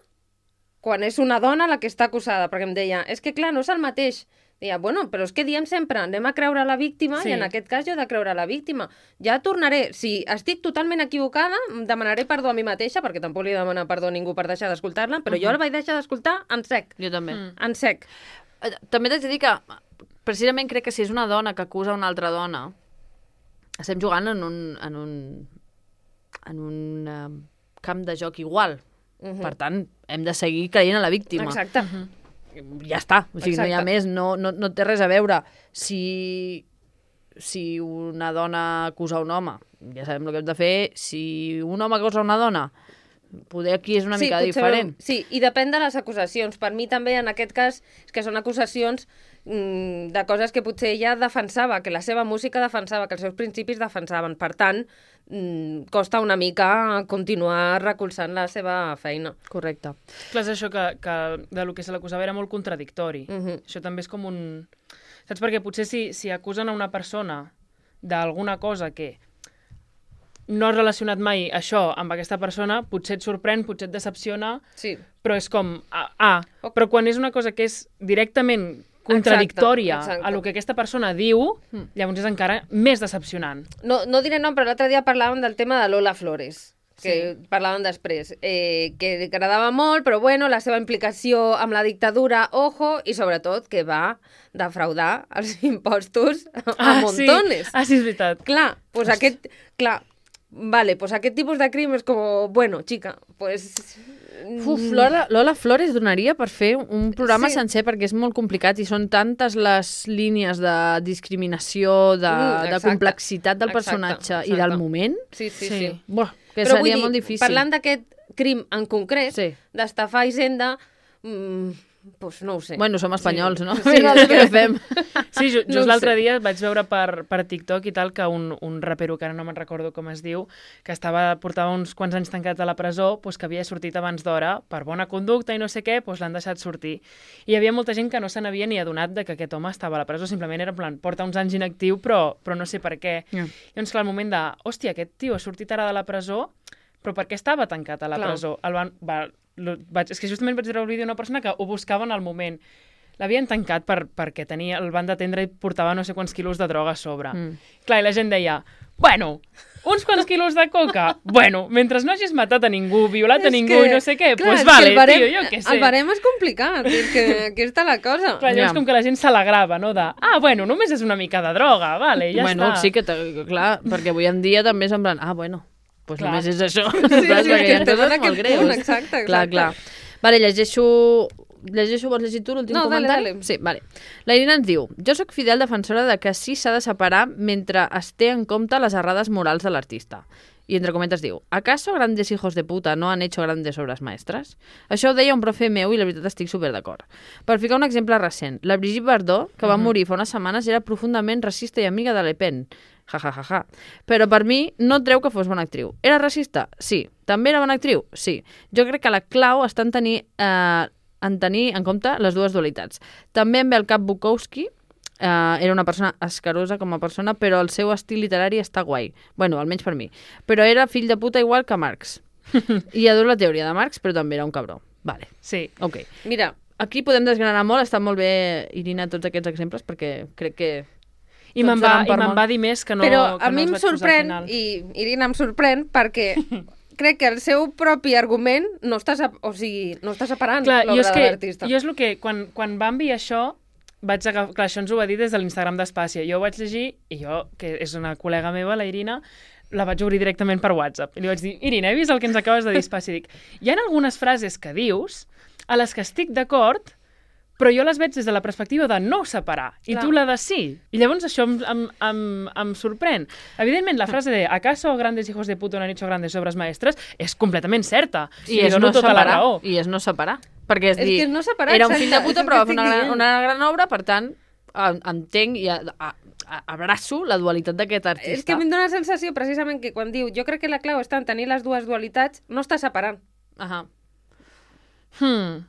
quan és una dona la que està acusada? Perquè em deia, és que clar, no és el mateix. Deia, bueno, però és que diem sempre, anem a creure a la víctima i en aquest cas jo he de creure a la víctima. Ja tornaré, si estic totalment equivocada, demanaré perdó a mi mateixa, perquè tampoc li demana perdó a ningú per deixar d'escoltar-la, però jo la vaig deixar d'escoltar en sec. Jo també. En sec. També t'haig de dir que, precisament crec que si és una dona que acusa una altra dona, estem jugant en un camp de joc igual. Per tant, hem de seguir creient a la víctima. Exacte. Ja està, o sigui, no hi ha més, no té res a veure. Si una dona acusa un home, ja sabem el que hem de fer. Si un home acusa una dona, poder aquí és una mica diferent. Sí, i depèn de les acusacions. Per mi també, en aquest cas, és que són acusacions de coses que potser ella defensava, que la seva música defensava, que els seus principis defensaven. Per tant, costa una mica continuar recolzant la seva feina. Correcte. Clar, és això que de lo que se l'acusava era molt contradictori. Això també és com un... Saps? Perquè potser si acusen a una persona d'alguna cosa que no has relacionat mai això amb aquesta persona, potser et sorprèn, potser et decepciona, però és com... Però quan és una cosa que és directament contradictòria a lo que aquesta persona diu, llavors és encara més decepcionant. No diré nom, però l'altre dia parlàvem del tema de Lola Flores, que parlàvem després, que agradava molt, però bueno, la seva implicació amb la dictadura, ojo, i sobretot que va defraudar els impostos a montones. Sí, és veritat. Clar, doncs aquest tipus de crim és com, bueno, xica, pues... Lola Flores donaria per fer un programa sencer perquè és molt complicat i són tantes les línies de discriminació, de complexitat del personatge i del moment. Sí. Buah, que seria molt difícil. Parlant d'aquest crim en concret, d'estafar Hisenda, pues no ho sé. Bueno, som espanyols, no? Sí, què fem? Sí, just l'altre dia vaig veure per TikTok i tal que un rapero, que ara no me'n recordo com es diu, que portava uns quants anys tancat a la presó, pues, que havia sortit abans d'hora per bona conducta i no sé què, pues, l'han deixat sortir. I hi havia molta gent que no se n'havia ni adonat de que aquest home estava a la presó, simplement era en plan, porta uns anys inactiu, però no sé per què. Llavors, clar, al moment de, hòstia, aquest tio ha sortit ara de la presó, però per què estava tancat a la Clar. presó? És que justament vaig veure el vídeo d'una persona que ho buscava en el moment. L'havien tancat perquè el van detendre i portava no sé quants quilos de droga a sobre. Clar, i la gent deia, bueno, uns quants quilos de coca? Bueno, mentre no hagis matat a ningú, violat a ningú i no sé què, doncs vale, tio, jo què sé. El barem és complicat, és que aquí està la cosa. Clar, llavors com que la gent s'alegrava, no? Bueno, només és una mica de droga, vale, ja bueno, està. Sí que, clar, perquè avui en dia també és en plan, bueno, doncs Clar. només és això. Sí, Perquè és hi ha que estem coses en aquest molt greus. punt, exacte. Clar. Vale, vols llegir tu l'últim comentari? Dale. Sí, vale. La Irina ens diu, jo sóc fidel defensora de que sí s'ha de separar mentre es té en compte les errades morals de l'artista. I entre cometes diu, ¿acaso grandes hijos de puta no han hecho grandes obras maestras? Això ho deia un profe meu i la veritat estic superdd'acord. Per ficar un exemple recent, la Brigitte Bardot, que va morir fa unes setmanes, era profundament racista i amiga de Le Pen. Ja. Però per mi no treu que fos bona actriu. Era racista? Sí. També era bona actriu? Sí. Jo crec que la clau està en tenir en compte les dues dualitats. També em ve al cap Bukowski, era una persona escarosa com a persona, però el seu estil literari està guai. Bueno, almenys per mi. Però era fill de puta igual que Marx. I adoro la teoria de Marx, però també era un cabró. Vale. Sí. Ok. Mira, Aquí podem desgranar molt, està molt bé, Irina, tots aquests exemples, perquè crec que... I me'n va dir més que no... però que a mi no em es va posar al sorprèn, final. i Irina em sorprèn, perquè crec que el seu propi argument no està separant Clar, l'obra de l'artista. Jo és el que, quan va enviar això, vaig agafar... Clar, això ens ho va dir des de l'Instagram d'Espàcia. Jo ho vaig llegir, i jo, que és una col·lega meva, la Irina, la vaig obrir directament per WhatsApp. I li vaig dir, Irina, he vist el que ens acabes de dir, Espàcia. I dic, hi ha algunes frases que dius a les que estic d'acord, però jo les veig des de la perspectiva de no separar, i Clar. tu la de sí. I llavors això em sorprèn. Evidentment, la frase de ¿acaso grandes hijos de puta no han hecho grandes obras maestras? És completament certa. I li és dono no tota la separar. raó. I és no separar. Perquè és És dir, que és no separar, era un fill de exacte, puta, és el però va que fer estic dient. una gran obra, per tant, entenc i abraço la dualitat d'aquest artista. És que a mi em dóna la sensació, precisament, que quan diu jo crec que la clau està en tenir les dues dualitats, no està separant. Ahà.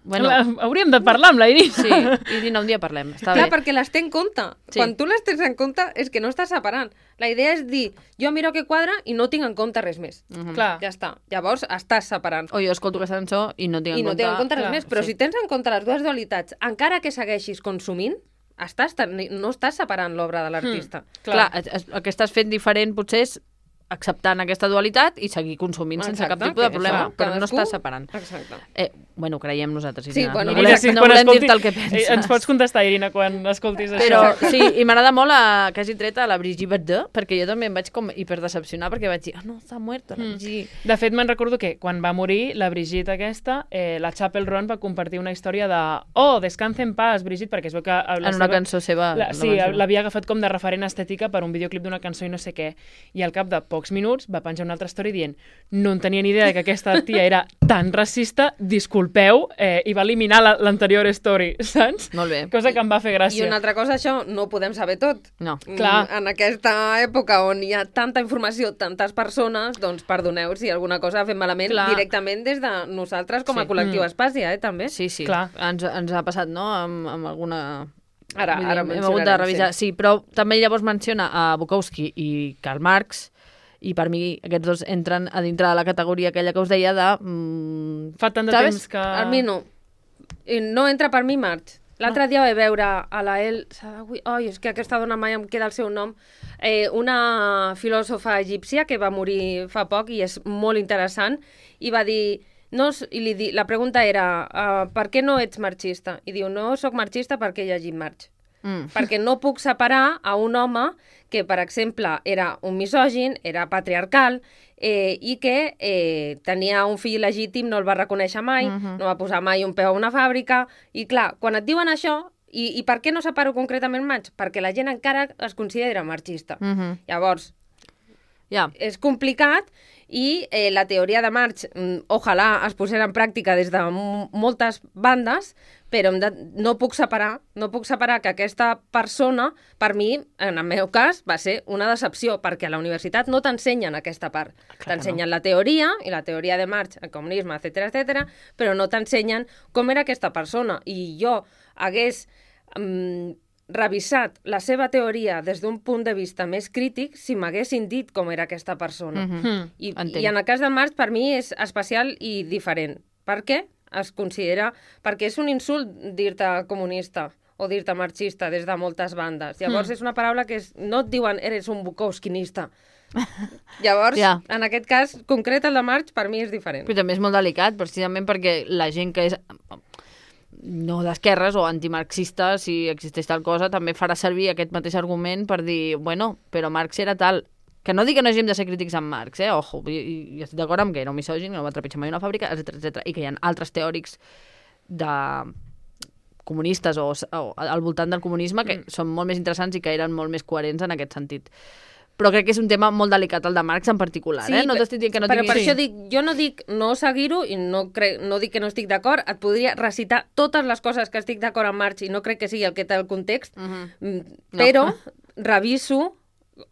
Bueno, hauríem de parlar amb la Irina. Sí, Irina, un dia parlem. Està Clar, bé. perquè les té en compte. Sí. Quan tu les tens en compte és que no estàs separant. La idea és dir, jo miro que quadra i no tinc en compte res més. Clar. Ja està. Llavors estàs separant. O jo escolto aquesta cançó i no tinc en I no compte... tinc en compte res clar, més. Però sí. si tens en compte les dues dualitats, encara que segueixis consumint, no estàs separant l'obra de l'artista. Clar, el que estàs fent diferent potser és acceptant aquesta dualitat i seguir consumint sense cap Exacte, tipus de que problema, això, però no cadascú- estàs separant. Exacte. Bueno, creiem nosaltres, Sí, Irina. bueno, no Irina, volem, sí, no quan volem escolti- dir-te el que penses. Ens pots contestar, Irina, quan escoltis Però això. sí, i m'agrada molt que hagi tret a la Brigitte Bardot, perquè jo també em vaig com hiperdecepcionar, perquè vaig dir, no, està muerta la Brigitte. De fet, me'n recordo que quan va morir la Brigitte aquesta, la Chapel Roan va compartir una història de descansa en paz, Brigitte, perquè es veu que... En una cançó seva. Sí, l'havia agafat com de referent estètica per un videoclip d'una cançó i no sé què. I al cap de pocs minuts va penjar una altra història dient no en tenia ni idea de que aquesta tia era tan racista, disculpeu, i va eliminar l'anterior story, saps? Molt bé. Cosa que em va fer I gràcia. una altra cosa, això, no ho podem saber tot. No. Clar. En aquesta època on hi ha tanta informació, tantes persones, doncs perdoneu si alguna cosa ha fet malament Clar. directament des de nosaltres com a Sí. col·lectiu Espàcia, també. Sí, sí. Clar. Ens ha passat, no?, amb alguna... Ara Vull dir, hem hagut de mencionarem, revisar. Sí, però també llavors menciona a Bukowski i Karl Marx, i per mi aquests dos entren a dintre de la categoria aquella que us deia de... Fa tant de ¿sabes? temps que... A mi no. I no entra per mi Marx. L'altre dia vaig veure a la El Sadawi... Ai, és que aquesta dona mai em queda el seu nom. Una filòsofa egípcia que va morir fa poc i és molt interessant, i va dir... la pregunta era per què no ets marxista? I diu, no sóc marxista perquè he llegit Marx. Perquè no puc separar a un home que, per exemple, era un misògin, era patriarcal, i que tenia un fill legítim, no el va reconèixer mai, no va posar mai un peu a una fàbrica, i clar, quan et diuen això, i per què no separo concretament Marx? Perquè la gent encara es considera marxista. Llavors, Ja. és complicat, i la teoria de Marx, ojalà es posés en pràctica des de moltes bandes, però no puc separar que aquesta persona, per mi, en el meu cas, va ser una decepció, perquè a la universitat no t'ensenyen aquesta part. T'ensenyen la teoria, i la teoria de Marx, el comunisme, etc, però no t'ensenyen com era aquesta persona. I jo hagués revisat la seva teoria des d'un punt de vista més crític si m'haguessin dit com era aquesta persona. I en el cas del Marx, per mi, és especial i diferent. Per què? Es considera... Perquè és un insult dir-te comunista o dir-te marxista des de moltes bandes. Llavors, és una paraula que no et diuen eres un bukowskinista. Llavors, en aquest cas concret, el de Marx, per mi és diferent. Però també és molt delicat, precisament perquè la gent que és no d'esquerres o antimarxista, si existeix tal cosa, també farà servir aquest mateix argument per dir, bueno, però Marx era tal... Que no dic que no hagin de ser crítics amb Marx, ojo, i estic d'acord amb que era un misògin, no va trepitjar mai una fàbrica, etc. I que hi ha altres teòrics de comunistes o al voltant del comunisme que són molt més interessants i que eren molt més coherents en aquest sentit. Però crec que és un tema molt delicat, el de Marx en particular. Sí, no t'estic dient que no però tinguis... per això dic, jo no dic no seguir-ho i no dic que no estic d'acord, et podria recitar totes les coses que estic d'acord amb Marx i no crec que sigui el que té el context, però reviso,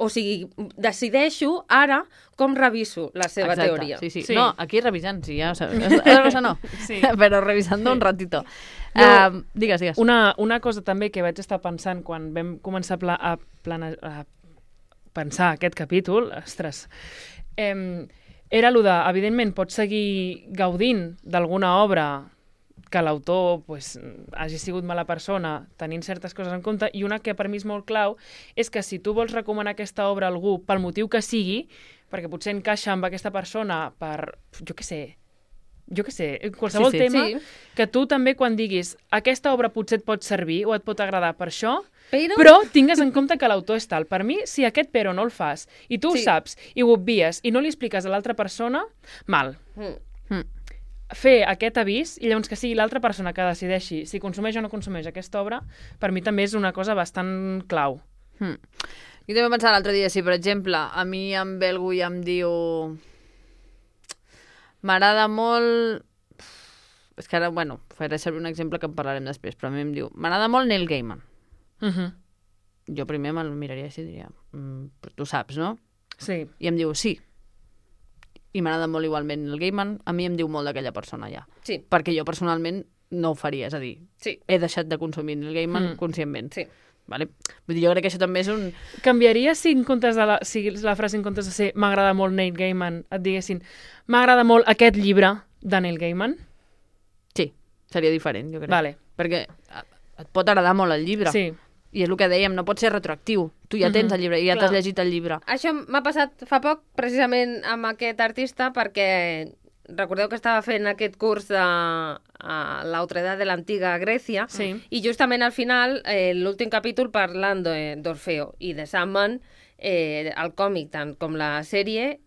o sigui, decideixo ara com reviso la seva teoria. Sí. No, aquí revisant, sí, ja ho sabeu. Otra cosa no, però revisant un ratito. Digues. Una cosa també que vaig estar pensant quan vam començar a pensar aquest capítol, ostres, era allò de, evidentment, pots seguir gaudint d'alguna obra que l'autor hagi sigut mala persona, tenint certes coses en compte, i una que per mi és molt clau és que si tu vols recomanar aquesta obra a algú pel motiu que sigui, perquè potser encaixa amb aquesta persona per, jo què sé, qualsevol tema, que tu també quan diguis aquesta obra potser et pot servir o et pot agradar per això, però tingues en compte que l'autor és tal. Per mi, si aquest però no el fas i tu ho saps i ho obvies i no li expliques a l'altra persona, mal. Fer aquest avís i llavors que sigui l'altra persona que decideixi si consumeix o no consumeix aquesta obra, per mi també és una cosa bastant clau. Jo també pensava l'altre dia, si per exemple a mi em ve algú i em diu m'agrada molt... És que ara, faré servir un exemple que en parlarem després, però a mi em diu m'agrada molt Neil Gaiman. Jo primer me'l miraria així i diria però tu saps, no? Sí. I em diu sí. I m'agrada molt igualment el Gaiman, a mi em diu molt d'aquella persona ja. Sí. Perquè jo personalment no ho faria, és a dir, he deixat de consumir el Gaiman conscientment. Sí. Vale? Vull dir, jo crec que això també és un... Canviaria si la frase en comptes de ser m'agrada molt Neil Gaiman et diguessin m'agrada molt aquest llibre de Neil Gaiman? Sí, seria diferent, jo crec. Vale. Perquè et pot agradar molt el llibre. Sí. I és el que dèiem, no pot ser retroactiu. Tu ja tens el llibre i ja t'has llegit el llibre. Això m'ha passat fa poc, precisament amb aquest artista, perquè recordeu que estava fent aquest curs de la otredad de l'antiga Grècia, i justament al final, l'últim capítol parlant d'Orfeo i de Sandman, el còmic tant com la sèrie,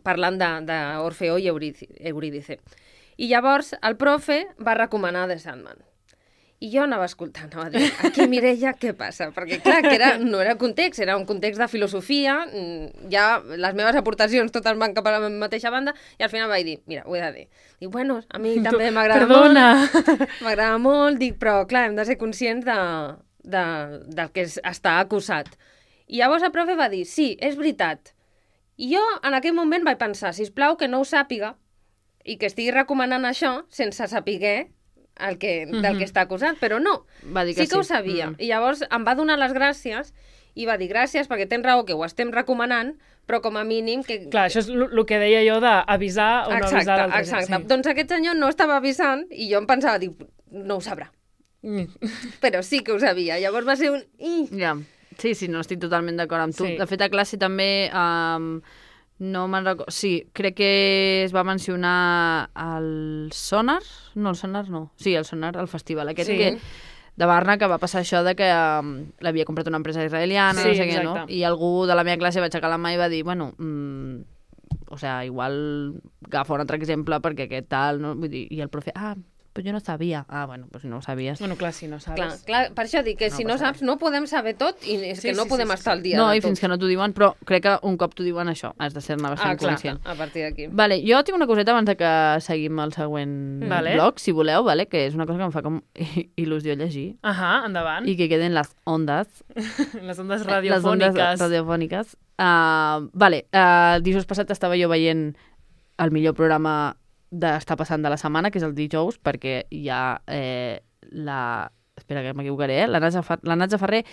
parlant d'Orfeo i Eurídice. I llavors el profe va recomanar The Sandman. I jo anava escoltant, anava a dir, aquí Mireia, què passa? Perquè clar, que no era context, era un context de filosofia, ja les meves aportacions totes van cap a la mateixa banda, i al final vaig dir, mira, ho he de dir. Dic, bueno, a mi també m'agrada molt, m'agrada molt, dic, però clar, hem de ser conscients del que està acusat. I llavors el profe va dir, sí, és veritat. I jo en aquell moment vaig pensar, sisplau, que no ho sàpiga, i que estigui recomanant això sense saber del que està acusat, però no, sí que ho sabia. I llavors em va donar les gràcies i va dir gràcies perquè tens raó que ho estem recomanant, però com a mínim... Clar, això és el que deia jo d'avisar o no avisar l'altre. Exacte. Doncs aquest senyor no estava avisant i jo em pensava, dic, no ho sabrà. Però sí que ho sabia. Llavors va ser un... Ja, sí, no estic totalment d'acord amb tu. De fet, a classe també... No me'n recordo... Sí, crec que es va mencionar el Sonar. No, el Sonar no. Sí, el Sonar, el festival aquest de Barna, que va passar això de que l'havia comprat una empresa israeliana, no sé què, no? I algú de la meva classe va aixecar la mà i va dir, bueno, o sea, igual agafa un altre exemple perquè aquest tal, no? Vull dir, i el profe, però jo no sabia. Bueno, pues no ho sabies. Bueno, clar, si no sabes. Clar, per això dic que si no saps no podem saber tot i és que no podem estar al dia de tot. No, i fins que no t'ho diuen, però crec que un cop t'ho diuen això, has de ser-ne bastant conscient. A partir d'aquí. Vale, jo tinc una coseta abans de que seguim el següent blog, si voleu, vale? Que és una cosa que em fa com il·lusió llegir. Endavant. I que queden les ondes. Les ondes radiofòniques. Les ondes radiofòniques. Dijous passat estava jo veient el millor programa d'estar passant de la setmana, que és el dijous, perquè hi ha espera que m'equivocaré, la Natza Ferrer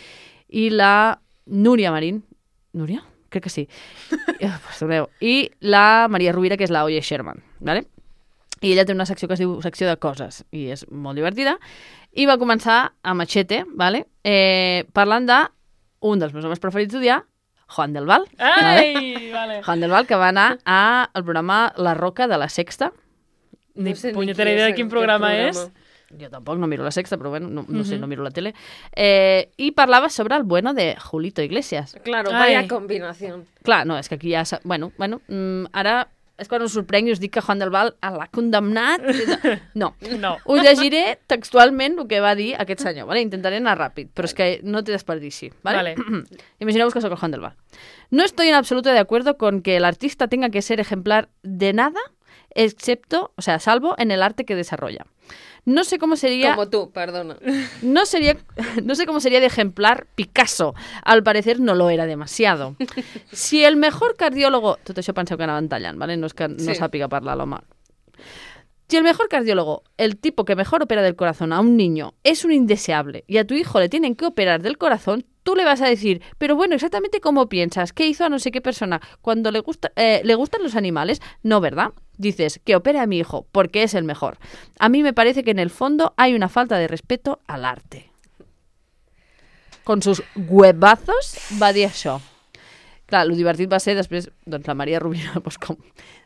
i la Núria Marín. Núria? Crec que sí. I la Maria Rovira, que és la Oye Sherman, ¿vale? I ella té una secció que es diu secció de coses, i és molt divertida, i va començar a Machete, ¿vale? Parlant d'un dels meus homes preferits d'odiar, Juan del Val. Ai, vale. Juan del Val, que va anar al programa La Roca de la Sexta. Ni No sé ni punyetera qui idea és de quin aquest programa programa. és. Jo tampoc no miro la Sexta, però bueno, no sé, no miro la tele. I parlava sobre el bueno de Julito Iglesias. Claro, Ai. vaya combinación. Clar, no, és que aquí ja... Bueno, ara és quan us sorprenc i us dic que Juan del Val l'ha condemnat. No. No. Us llegiré textualment el que va dir aquest senyor, ¿vale? Intentaré anar ràpid, però és que no té desperdici, ¿vale? Imagineu-vos que soc el Juan del Val. No estoy en absoluto de acuerdo con que el artista tenga que ser ejemplar de nada, salvo en el arte que desarrolla. No sé cómo sería... Como tú, perdona. No sé cómo sería de ejemplar Picasso. Al parecer no lo era demasiado. Si el mejor cardiólogo... Tot això penseu que anaven tallant, ¿vale? No és que no sàpiga parlar l'home. Si el mejor cardiólogo, el tipo que mejor opera del corazón a un niño, es un indeseable y a tu hijo le tienen que operar del corazón, tú le vas a decir, pero bueno, exactamente cómo piensas, qué hizo a no sé qué persona, cuando le gustan los animales, no, ¿verdad? Dices, que opere a mi hijo, porque es el mejor. A mí me parece que en el fondo hay una falta de respeto al arte. Con sus huevazos va dir això. Clar, el divertit va ser després, doncs, la Maria Rovira, doncs, com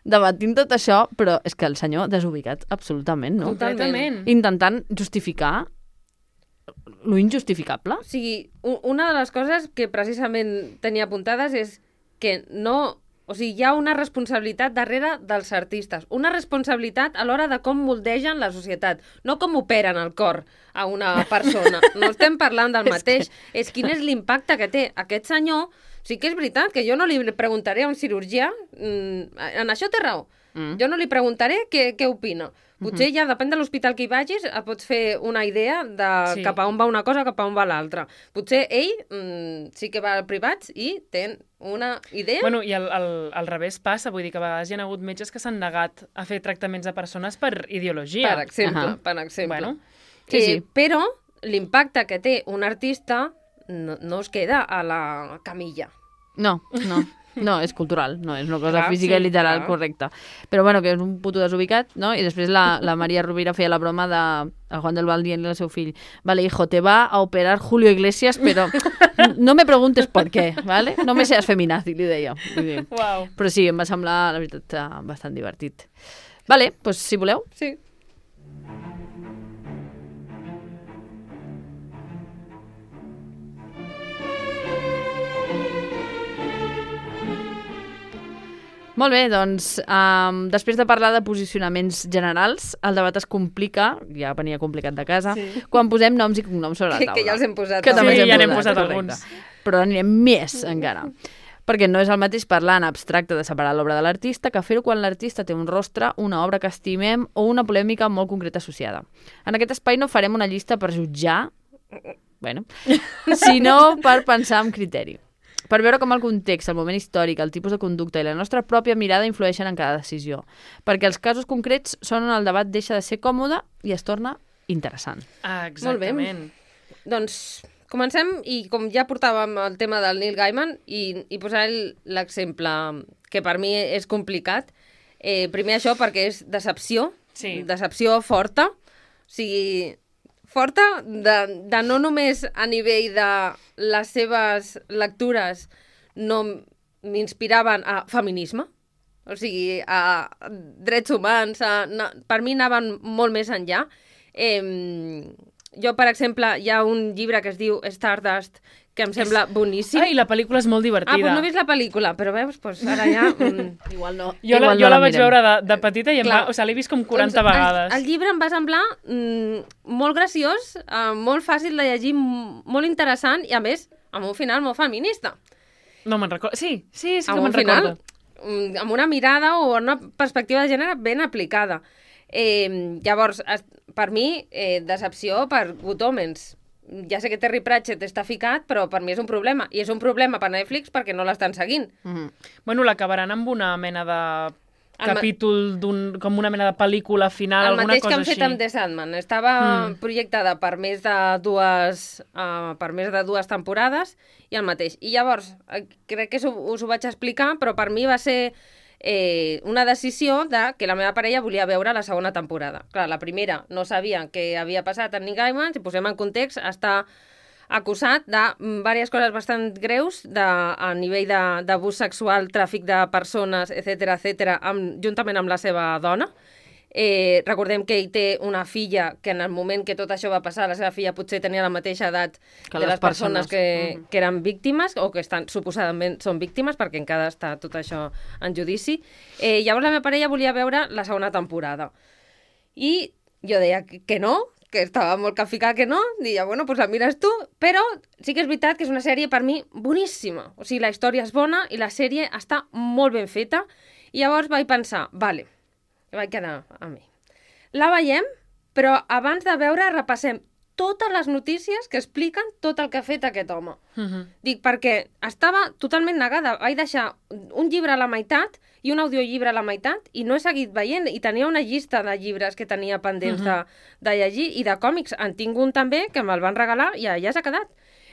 debatint tot això, però és que el senyor desubicat absolutament, no? Completament. Intentant justificar lo injustificable. O sigui, una de les coses que precisament tenia apuntades és que no... O sigui, hi ha una responsabilitat darrere dels artistes, una responsabilitat a l'hora de com moldegen la societat, no com operen el cor a una persona. No estem parlant del mateix. És quin és l'impacte que té aquest senyor. Sí que és veritat que jo no li preguntaré a un cirurgià, en això té raó. Jo no li preguntaré què opina. Potser ja, depèn de l'hospital que hi vagis, pots fer una idea de cap a on va una cosa, cap a on va l'altra. Potser ell sí que va a privats i té una idea. Bueno, i al revés passa, vull dir que a vegades hi ha hagut metges que s'han negat a fer tractaments a persones per ideologia. Per exemple. Bueno. Sí. Però l'impacte que té un artista no es queda a la camilla. No, és cultural, no és una cosa física i literal correcta. Però bueno, que és un puto desubicat, no? I després la Maria Rovira feia la broma de Juan del Val dient-li al seu fill, vale, hijo, te va a operar Julio Iglesias, però no me preguntes por qué, ¿vale? No me seas feminazi, li deia. Wow. Però sí, em va semblar, la veritat, bastant divertit. Vale, doncs si voleu. Sí. Molt bé, doncs, després de parlar de posicionaments generals, el debat es complica, ja venia complicat de casa, quan posem noms i cognoms sobre la taula. Que ja els hem posat. Que també ja n'hem posat alguns. Però anirem més encara. Perquè no és el mateix parlar en abstracte de separar l'obra de l'artista que fer-ho quan l'artista té un rostre, una obra que estimem o una polèmica molt concreta associada. En aquest espai no farem una llista per jutjar, sinó per pensar amb criteri. Per veure com el context, el moment històric, el tipus de conducta i la nostra pròpia mirada influeixen en cada decisió. Perquè els casos concrets són on el debat deixa de ser còmode i es torna interessant. Exactament. Doncs comencem, i com ja portàvem el tema del Neil Gaiman, i posar l'exemple que per mi és complicat. Primer això perquè és decepció, decepció forta, o sigui... forta de no només a nivell de les seves lectures no m'inspiraven a feminisme, o sigui, a drets humans, per mi anaven molt més enllà. Jo, per exemple, hi ha un llibre que es diu Stardust, que em sembla boníssim. Ai, la pel·lícula és molt divertida. Doncs no he vist la pel·lícula, però veus, ara ja... Igual no. Jo la vaig veure de petita i l'he vist com 40 vegades. El llibre em va semblar molt graciós, molt fàcil de llegir, molt interessant i, a més, amb un final molt feminista. No me'n recordo. Sí que me'n recordo. Amb una mirada o una perspectiva de gènere ben aplicada. Llavors, per mi, decepció per Good Omens. Ja sé que Terry Pratchett està ficat, però per mi és un problema. I és un problema per Netflix perquè no l'estan seguint. Bueno, l'acabaran amb una mena de capítol com una mena de pel·lícula final, alguna cosa així. El mateix que han fet amb The Sandman. Estava projectada per més de dues temporades i el mateix. I llavors, crec que us ho vaig explicar, però per mi va ser una decisió de que la meva parella volia veure la segona temporada. Clar, la primera no sabia què havia passat amb Neil Gaiman, si posem en context, està acusat de diverses coses bastant greus a nivell d'abús sexual, tràfic de persones, etc juntament amb la seva dona. Recordem que ell té una filla que en el moment que tot això va passar, la seva filla potser tenia la mateixa edat que les persones que eren víctimes o que suposadament són víctimes, perquè encara està tot això en judici. Llavors la meva parella volia veure la segona temporada. I jo deia que no, que estava molt capficada que no, deia, bueno, doncs la mires tu, però sí que és veritat que és una sèrie per mi boníssima. O sigui, la història és bona i la sèrie està molt ben feta. I llavors vaig pensar, vale, vaig quedar a mi. La veiem, però abans de veure repassem totes les notícies que expliquen tot el que ha fet aquest home. Dic, perquè estava totalment negada. Vaig deixar un llibre a la meitat i un audiollibre a la meitat i no he seguit veient. I tenia una llista de llibres que tenia pendents de llegir i de còmics. En tinc un també, que me'l van regalar i ja s'ha quedat.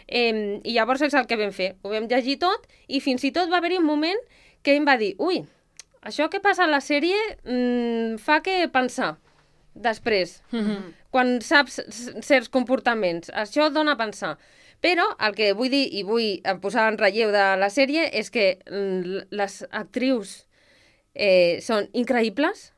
I llavors és el que vam fer. Ho vam llegir tot i fins i tot va haver-hi un moment que em va dir, ui, això que passa a la sèrie fa que pensar després, quan saps certs comportaments. Això dona a pensar. Però el que vull dir i vull posar en relleu de la sèrie és que les actrius són increïbles,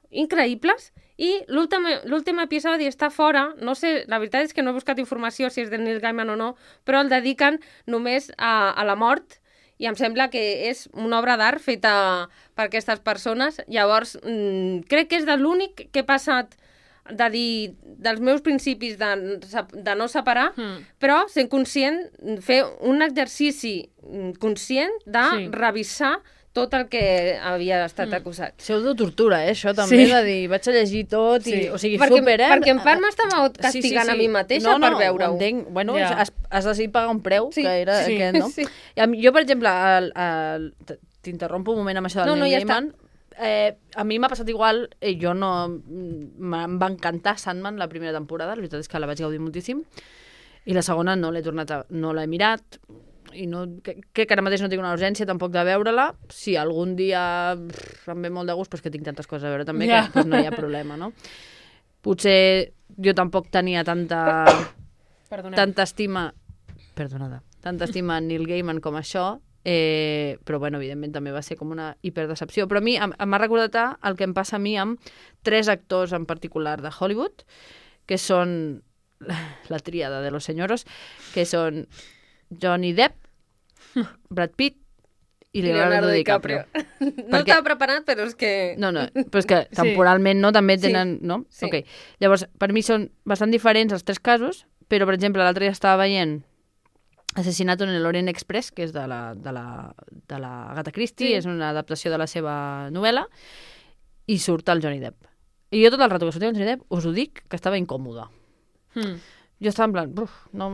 i l'últim episodi està fora, no sé, la veritat és que no he buscat informació si és de Neil Gaiman o no, però el dediquen només a la mort, i em sembla que és una obra d'art feta per aquestes persones. Llavors, crec que és de l'únic que he passat de dir dels meus principis de no separar, però sent conscient, fer un exercici conscient de revisar tot el que havia estat acusat. Pseudotortura, això també, de dir, vaig a llegir tot, i, o sigui, super, Perquè en part m'estava castigant a mi mateixa per veure-ho. No, entenc. Bueno, has decidit pagar un preu, que era aquest, no? Jo, per exemple, t'interrompo un moment amb això del Neil Gaiman. A mi m'ha passat igual, em va encantar Sandman la primera temporada, la veritat és que la vaig gaudir moltíssim, i la segona no l'he mirat, i que ara mateix no tinc una urgència tampoc de veure-la. Si algun dia em ve molt de gust, però és que tinc tantes coses a veure també, que no hi ha problema, no? Potser jo tampoc tenia tanta estima a Neil Gaiman com això, però bueno, evidentment també va ser com una hiperdecepció. Però a mi m'ha recordat el que em passa a mi amb 3 actors en particular de Hollywood, que són la tríada de los señoros, que són Johnny Depp, Brad Pitt i Leonardo DiCaprio. No estava preparat, però és que... No, però és que temporalment no, també tenen... No? Sí. Okay. Llavors, per mi són bastant diferents els 3 casos, però, per exemple, l'altre dia estava veient Asesinato en el Orient Express, que és de la Agatha Christie, és una adaptació de la seva novel·la, i surt el Johnny Depp. I jo tot el rato que sortia el Johnny Depp us ho dic que estava incòmoda. Jo estava en plan, no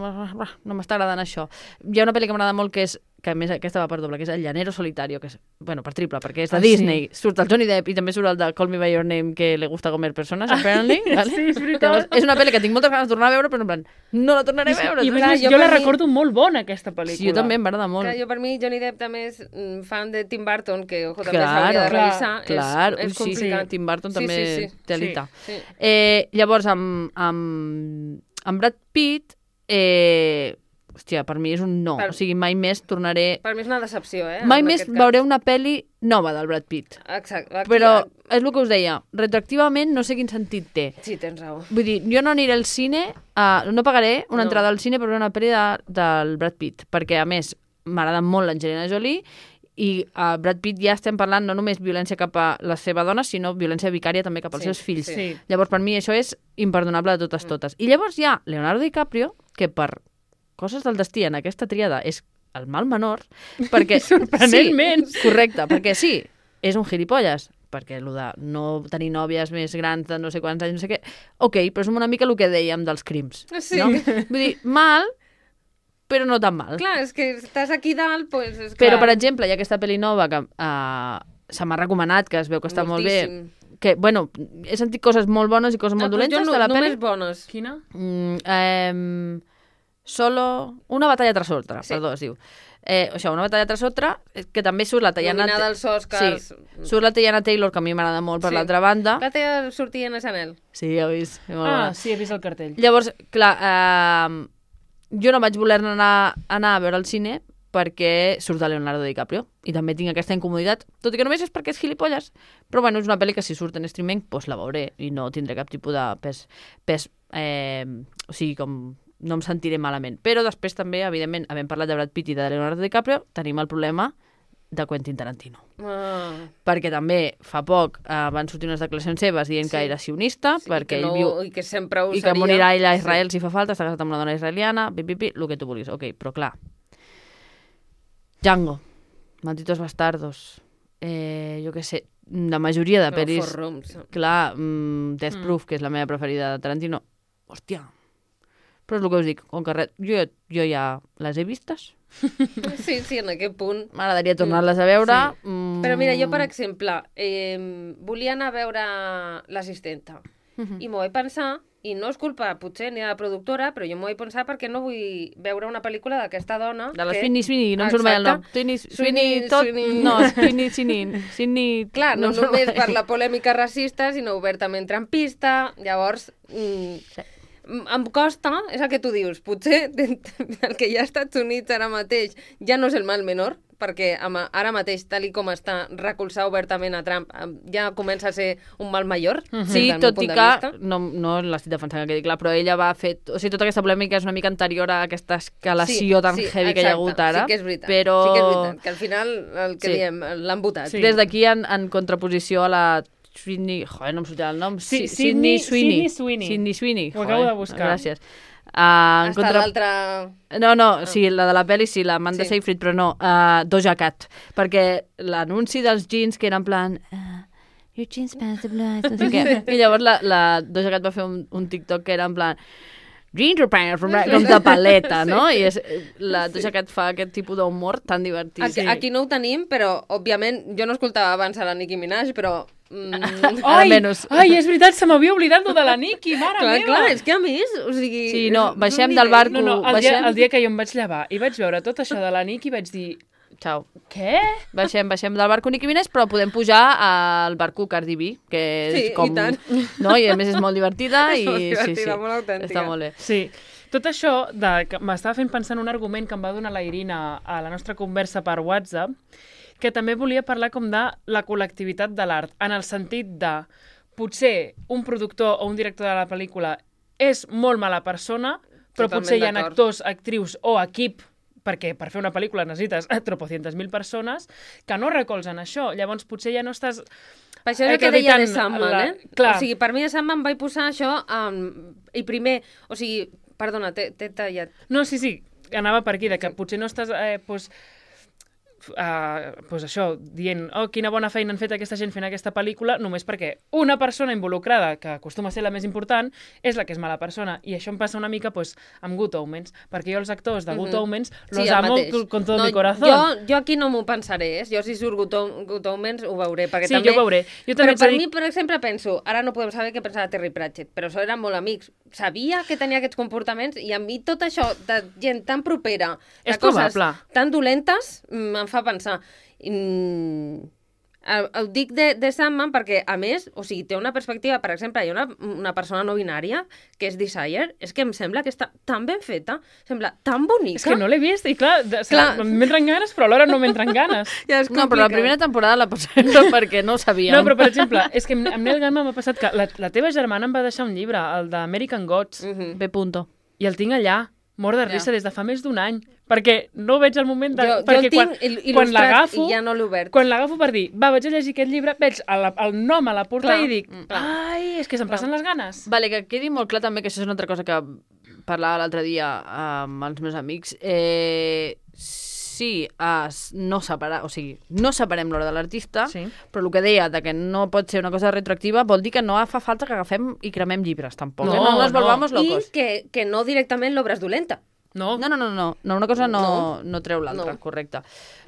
m'està agradant això. Hi ha una pel·li que m'agrada molt que és, que a més aquesta va per doble, que és El llanero solitario, que és, bueno, per triple, perquè és de Disney. Sí. Surt el Johnny Depp i també surt el de Call Me By Your Name, que le gusta comer persones, apparently. Vale? Sí, és veritat. Llavors, és una pel·li que tinc moltes ganes de tornar a veure, però en plan, no la tornaré a veure. I més, jo la recordo molt bona, aquesta pel·lícula. Sí, jo també m'agrada molt. Clar, jo per mi Johnny Depp també és fan de Tim Burton, que ojo, també s'hauria de revisar. Clar, és complicat. Sí, Tim Burton també té alita. Sí. Llavors, amb Brad Pitt, hòstia, per mi és un no. O sigui, mai més tornaré... Per mi és una decepció, Mai més veuré una pel·li nova del Brad Pitt. Exacte. Però és el que us deia, retroactivament no sé quin sentit té. Sí, tens raó. Vull dir, jo no aniré al cine, no pagaré una entrada al cine per veure una pel·li del Brad Pitt, perquè, a més, m'agrada molt l'Angelina Jolie, i a Brad Pitt ja estem parlant no només violència cap a la seva dona, sinó violència vicària també cap als seus fills. Sí. Llavors, per mi, això és imperdonable de totes. I llavors hi ha Leonardo DiCaprio, que per coses del destí en aquesta tríada és el mal menor, perquè... Sorprenentment! Sí, correcte, perquè sí, és un gilipolles, perquè el de no tenir nòvies més grans de no sé quants anys, no sé què... Ok, però és una mica el que dèiem dels crims. Sí. No? Vull dir, mal, però no tan mal. Clar, és que estàs aquí dalt, doncs... És però, per exemple, hi ha aquesta pel·li nova que se m'ha recomanat, que es veu que està molt bé. Moltíssim. Que, bueno, he sentit coses molt bones i coses molt dolentes de la pel·li. Només bones. Quina? Solo... Una batalla tras otra, Sí. perdó, es diu. Una batalla tras otra, que també surt la Teyana... Nominada als Oscars. Sí, surt la Teyana Taylor, que a mi m'agrada molt per Sí. l'altra banda. Que té sortir en SNL. Sí, ja ho he vist. Sí, he vist el cartell. Llavors, clar, jo no vaig voler anar a veure al cine perquè surt de Leonardo DiCaprio i també tinc aquesta incomoditat, tot i que només és perquè és gilipolles, però bueno, és una pel·li que si surt en streaming doncs la veuré i no tindré cap tipus de pes o sigui, com no em sentiré malament. Però després també, evidentment, havent parlat de Brad Pitt i de Leonardo DiCaprio, tenim el problema de Quentin Tarantino. Perquè també fa poc van sortir unes declaracions seves dient que era sionista, perquè ell viu... I que sempre ho I seria. que morirà ell a Israel si fa falta, està casat amb una dona israeliana, el que tu vulguis. Ok, però clar, Django, Malditos Bastardos, jo què sé, la majoria de pel·lis... Four Rooms. Clar, Death Proof, que és la meva preferida de Tarantino. Hòstia. Però és el que us dic, com que jo ja les he vistes. Sí, en aquest punt. M'agradaria tornar-les a veure. Sí. Però mira, jo, per exemple, volia anar a veure l'assistenta. I m'ho vaig pensar, i no és culpa, potser, ni de la productora, però jo m'ho vaig pensar perquè no vull veure una pel·lícula d'aquesta dona... De la Sweeney, no em surt mai el nom. Sweeney, tot... No, Sweeney... Clar, no només per la polèmica racista, sinó obertament trampista. Llavors, em costa, és el que tu dius, potser el que hi ha als Estats Units ara mateix ja no és el mal menor, perquè ara mateix, tal com està, recolzar obertament a Trump ja comença a ser un mal major. Sí, tot i que no l'estic defensant, que quedi clar, però ella va fer... O sigui, tota aquesta polèmica és una mica anterior a aquesta escalació tan heavy que hi ha hagut ara. Sí que és veritat, però... sí que és veritat, que al final el que diem, l'han votat. Sí. Des d'aquí, en contraposició a la Sweeney... Joder, no em sortirà el nom. Sydney Sweeney. Sydney Sweeney. Ho acabo de buscar. Gràcies. Hasta l'altra... No, sí, la de la pel·li sí, la Amanda Seyfried, però no, Doja Cat, perquè l'anunci dels jeans que era en plan... Your jeans pants are blue, no sé què. I llavors la Doja Cat va fer un TikTok que era en plan... Ginger pants, com de paleta, no? I la Doja Cat fa aquest tipus d'humor tan divertit. Aquí no ho tenim, però, òbviament, jo no escoltava abans a la Nicki Minaj, però... Ai, és veritat, se m'havia oblidat lo de la Nicki, mare meva. Clar, és que a més, o sigui... Sí, no, baixem del barco... El dia que jo em vaig llevar i vaig veure tot això de la Nicki, vaig dir... Xau. Què? Baixem del barco Nicki Minaj, però podem pujar al barco Cardi B, que és com... i tant. No? I a més és molt divertida. És molt divertida, molt autèntica. Està molt bé. Sí. Tot això m'estava fent pensar en un argument que em va donar la Irina a la nostra conversa per WhatsApp, que també volia parlar com de la col·lectivitat de l'art, en el sentit de potser un productor o un director de la pel·lícula és molt mala persona, però potser hi ha actors, actrius o equip, perquè per fer una pel·lícula necessites tropocientas mil persones que no recolzen això. Llavors potser ja no estàs... Per això és el que deia de Sandman, Clar. O sigui, per mi de Sandman vaig posar això i primer, o sigui, perdona, t'he tallat. No, sí, anava per aquí, de que potser no estàs... pues això, dient quina bona feina han fet aquesta gent fent aquesta pel·lícula, només perquè una persona involucrada, que acostuma a ser la més important, és la que és mala persona. I això em passa una mica amb Good Omens, perquè jo els actors de Good Omens los amo con todo mi corazón. Jo aquí no m'ho pensaré, jo si surt Good Omens ho veuré, perquè sí, també... jo ho veuré. Però per mi, per exemple, penso, ara no podem saber què pensava Terry Pratchett, però això eren molt amics. Sabia que tenia aquests comportaments i a mi tot això de gent tan propera, de coses tan dolentes, em fa pensar. Ho dic de Sandman perquè, a més, o sigui, té una perspectiva, per exemple, hi ha una persona no binària que és Desire, és que em sembla que està tan ben feta, sembla tan bonica. És que no l'he vist i clar m'entren ganes, però alhora no m'entren ganes. No, però la primera temporada la pots veure perquè no ho sabíem. No, però per exemple, és que amb Neil Gaiman m'ha passat que la teva germana em va deixar un llibre, el d'American Gods, B. I el tinc allà, mort de risa des de fa més d'un any, perquè no veig el moment de... Jo el tinc il·lustrat i ja no l'he obert. Quan l'agafo per dir, vaig a llegir aquest llibre, veig el nom a la portada i dic, ai, és que se'm passen les ganes. Vale, que quedi molt clar també que això és una altra cosa que parlava l'altre dia amb els meus amics. Sí, no separem l'hora de l'artista, però el que deia de que no pot ser una cosa retroactiva vol dir que no fa falta que agafem i cremem llibres, tampoc. No nos volvamos locos. I que no directament l'obra és dolenta. No? No, una cosa no treu l'altra, No. correcte.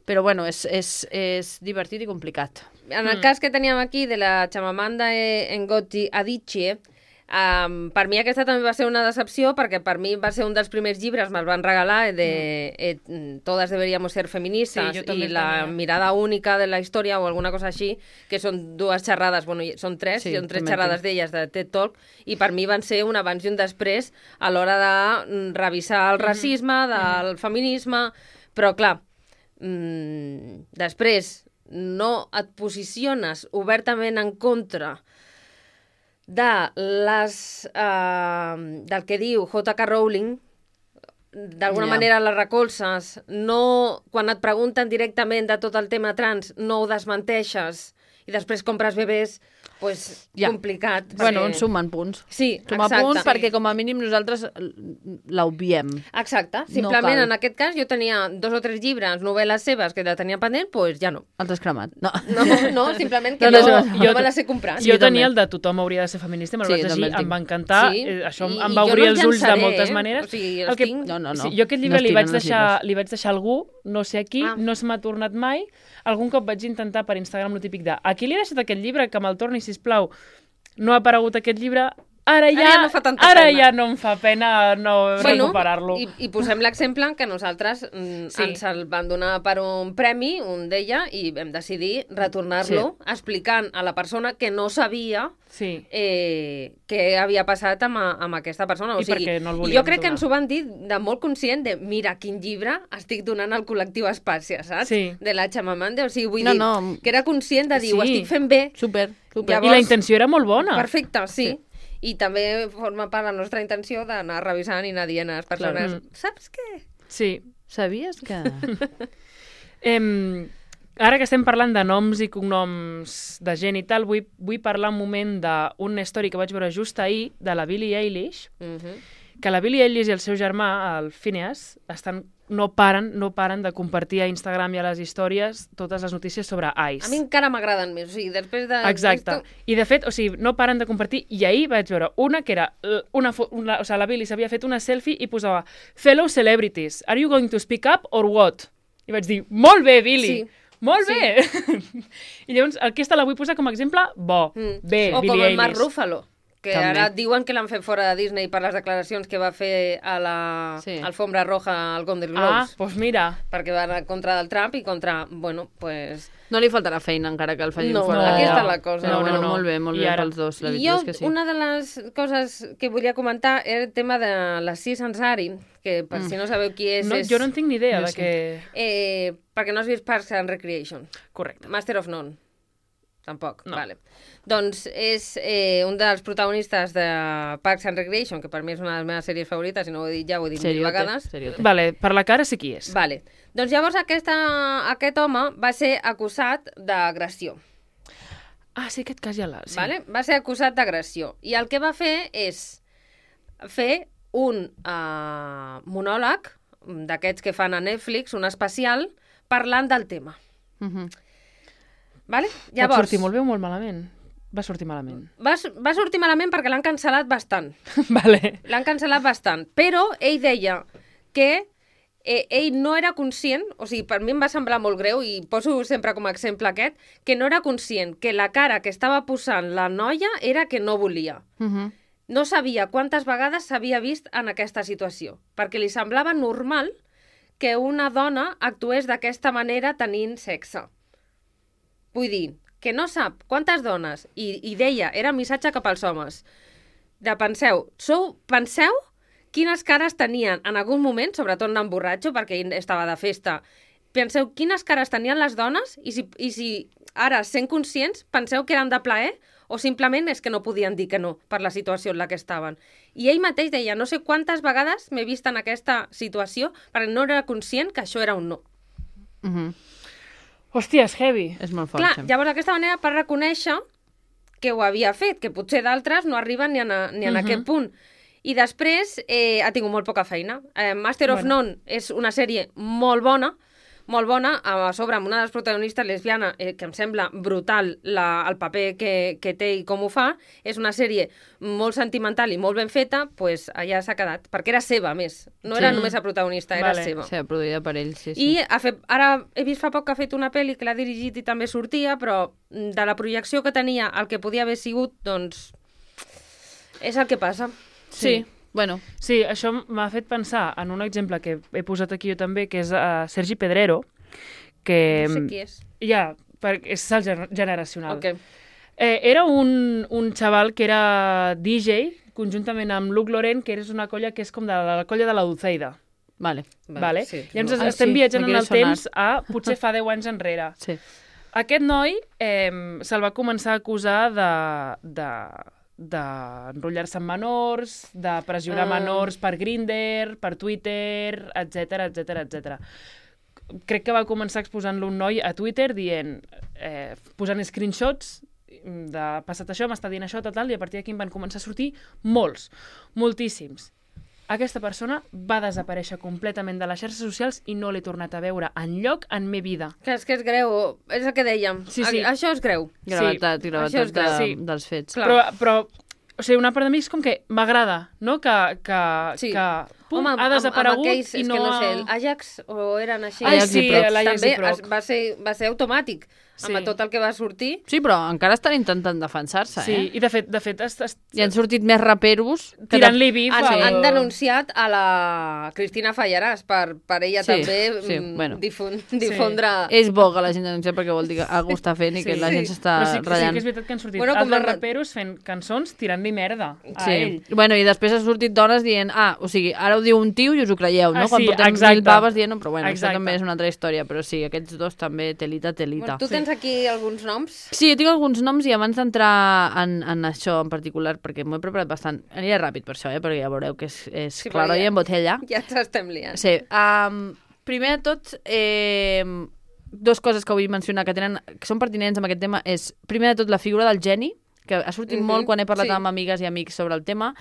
Però bueno, és divertit i complicat. En el cas que teníem aquí de la Chimamanda Ngozi Adichie, per mi aquesta també va ser una decepció perquè per mi va ser un dels primers llibres, me'l van regalar, de Todas deberíamos ser feministas, Sí, jo també i la tenia. mirada única de la història o alguna cosa així, que són dues xerrades, bueno, són tres, Sí, són tres també xerrades d'elles de TED Talk, i per mi van ser un abans i un després a l'hora de revisar el racisme, del feminisme, però clar, després no et posiciones obertament en contra de del que diu J.K. Rowling, d'alguna manera la recolzes, no, quan et pregunten directament de tot el tema trans, no ho desmenteixes i després compres bebès, pues, complicat. Bueno, perquè- ens sumen punts. Sí, Suma exacte. punts perquè com a mínim nosaltres l'obviem. Exacte. No Simplement, cal. en aquest cas, jo tenia 2 o 3 llibres, novel·les seves, que la tenia pendent, doncs ja no. Els has cremat. No. No, simplement que No, no, no, no me les he comprat. Jo jo tenia també. el de tothom hauria de ser feminista, me'l Sí, vaig també llegir, el tinc. em va encantar, Sí, això i em jo va no obrir els els ulls de llançaré, moltes maneres. o sigui, els tinc. No. Sí, jo aquest llibre No li vaig estiren els deixar a algú, no sé a qui, Ah. no se m'ha tornat mai. Algun cop vaig intentar per Instagram lo típic de a qui li he deixat aquest llibre, que me'l torni, sisplau. No ha aparegut aquest llibre, ara ja no fa tanta pena. ja no em fa pena no recuperar-lo. I posem l'exemple que nosaltres Sí. ens el van donar per un premi, un d'ella, i vam decidir retornar-lo explicant a la persona que no sabia Sí. què havia passat amb aquesta persona. O I sigui, perquè no el i volíem jo crec que donar. ens ho van dir de molt conscient de mira quin llibre estic donant al col·lectiu Espàcia, saps? Sí. De la Chimamanda. O sigui, vull No, dir no. que era conscient de dir ho Sí. estic fent bé. Super. Llavors- I la intenció era molt bona. Perfecte, sí. I també forma part de la nostra intenció d'anar revisant i anar dient a les persones, Clar. saps què? Sí. Sabies que... Ara que estem parlant de noms i cognoms de gent i tal, vull parlar un moment d'un story que vaig veure just ahir, de la Billie Eilish, que la Billie Eilish i el seu germà, el Phineas, no paren de compartir a Instagram i a les històries totes les notícies sobre Ice. A mi encara m'agraden més, o sigui, després de... Exacte. I de fet, o sigui, no paren de compartir, i ahir vaig veure una que era, o sigui, la Billie s'havia fet una selfie i posava Fellow celebrities, are you going to speak up or what? I vaig dir, molt bé, Billie! Sí. Molt Sí. bé! I llavors, aquesta la vull posar com a exemple bo. Bé, O com Billie el Mark Eilish. Ruffalo, que També. ara diuen que l'han fet fora de Disney per les declaracions que va fer a la Sí. alfombra roja al Golden Ah, Globes, doncs mira. perquè va anar contra del Trump i contra... Bueno, pues... No li faltarà feina encara que el facin No, fora aquí d'allà. està la cosa. Però No, bueno, no. molt bé I ara- pels dos, la I veritat jo, és que sí. una de les coses que volia comentar era el tema de la Sis Ansari, que per si no sabeu qui és... No, és jo no en tinc ni idea Jo de sí. què... perquè no has vist Parks and Recreation. Correcte. Master of None. Tampoc, No. vale. Doncs és un dels protagonistes de Parks and Recreation, que per mi és una de les meves sèries favorites, i no ho he dit ja, ho he dit mil vegades. Seriote. Vale, per la cara sí qui és. Vale. Doncs llavors aquest home va ser acusat d'agressió. Ah, sí, aquest cas ja l'ha... Sí. Vale? Va ser acusat d'agressió. I el que va fer és fer un monòleg d'aquests que fan a Netflix, un especial, parlant del tema. Mhm. Vale? Pot sortir molt bé o molt malament? Va sortir malament. Va sortir malament perquè l'han cancel·lat bastant. Vale. L'han cancel·lat bastant. Però ell deia que ell no era conscient, o sigui, per mi em va semblar molt greu, i poso sempre com a exemple aquest, que no era conscient que la cara que estava posant la noia era que no volia. Mhm. No sabia quantes vegades s'havia vist en aquesta situació, perquè li semblava normal que una dona actués d'aquesta manera tenint sexe. Vull dir, que no sap quantes dones, i deia, era el missatge cap als homes, de penseu quines cares tenien en algun moment, sobretot anant borratxo, perquè ell estava de festa, penseu quines cares tenien les dones i si ara, sent conscients, penseu que eren de plaer o simplement és que no podien dir que no per la situació en la que estaven. I ell mateix deia, no sé quantes vegades m'he vist en aquesta situació perquè no era conscient que això era un no. Mhm. Hòstia, és heavy. És molt fort. Clar, sí. llavors d'aquesta manera per reconèixer que ho havia fet, que potser d'altres no arriben ni en aquest punt. I després ha tingut molt poca feina. Master of None és una sèrie molt bona, molt bona, a sobre amb una de les protagonistes lesbiana, que em sembla brutal el paper que té i com ho fa. És una sèrie molt sentimental i molt ben feta, doncs allà s'ha quedat, perquè era seva, a més. No era només la protagonista, era seva. Sí, produïda per ell, sí. I ara he vist fa poc que ha fet una pel·li que l'ha dirigit i també sortia, però de la projecció que tenia, el que podia haver sigut, doncs, és el que passa. Sí. Bueno. Sí, això m'ha fet pensar en un exemple que he posat aquí jo també, que és Sergi Pedrero, que... No sé qui és. Ja, és salt generacional. Okay. Era un xaval que era DJ, conjuntament amb Luc Lorent, que és una colla que és com de la colla de la Dulceida. Vale. Sí. Llavors estem viatjant en el temps a potser fa 10 anys enrere. Sí. Aquest noi se'l va començar a acusar d'enrotllar-se amb menors, de pressionar menors per Grindr, per Twitter, etc. Crec que va començar exposant-lo un noi a Twitter dient, posant screenshots de passat això, m'està dient això, tal, i a partir d'aquí en van començar a sortir moltíssims. Aquesta persona va desaparèixer completament de les xarxes socials i no l'he tornat a veure enlloc en me vida. Que és greu, és el que dèiem. Sí. Això és greu. Gravetat dels fets. Però o sigui, una part de mi és com que m'agrada, no? Que pum, ha desaparegut amb aquells, i no... És que no sé, l'Ajax o eren així? Ai, sí, l'Ajax i Proc. També va ser automàtic. Sí. Amb tot el que va sortir. Sí, però encara estan intentant defensar-se, Sí, i de fet I han sortit més raperos tirant-li bif. Han denunciat a la Cristina Fallaràs per ella també bueno. difondre... És bo que la gent denuncia perquè vol dir que algú està fent i que la gent s'està ratllant. Però sí que és veritat que han sortit altres raperos fent cançons tirant-li merda a ell. Bueno, i després han sortit dones dient, o sigui, ara ho diu un tio i us ho creieu, no? Quan portem 1000 baves dient, però bueno, això també és una altra història, però sí, aquests dos també telita. Bueno, tu tens aquí alguns noms? Sí, jo tinc alguns noms i abans d'entrar en això en particular, perquè m'ho he preparat bastant, aniré ràpid per això, perquè ja veureu que és claro i en botella. Ja t'estem liant. Sí. Primer de tot, dues coses que vull mencionar que són pertinents amb aquest tema és, primer de tot, la figura del geni, que ha sortit molt quan he parlat amb amigues i amics sobre el tema.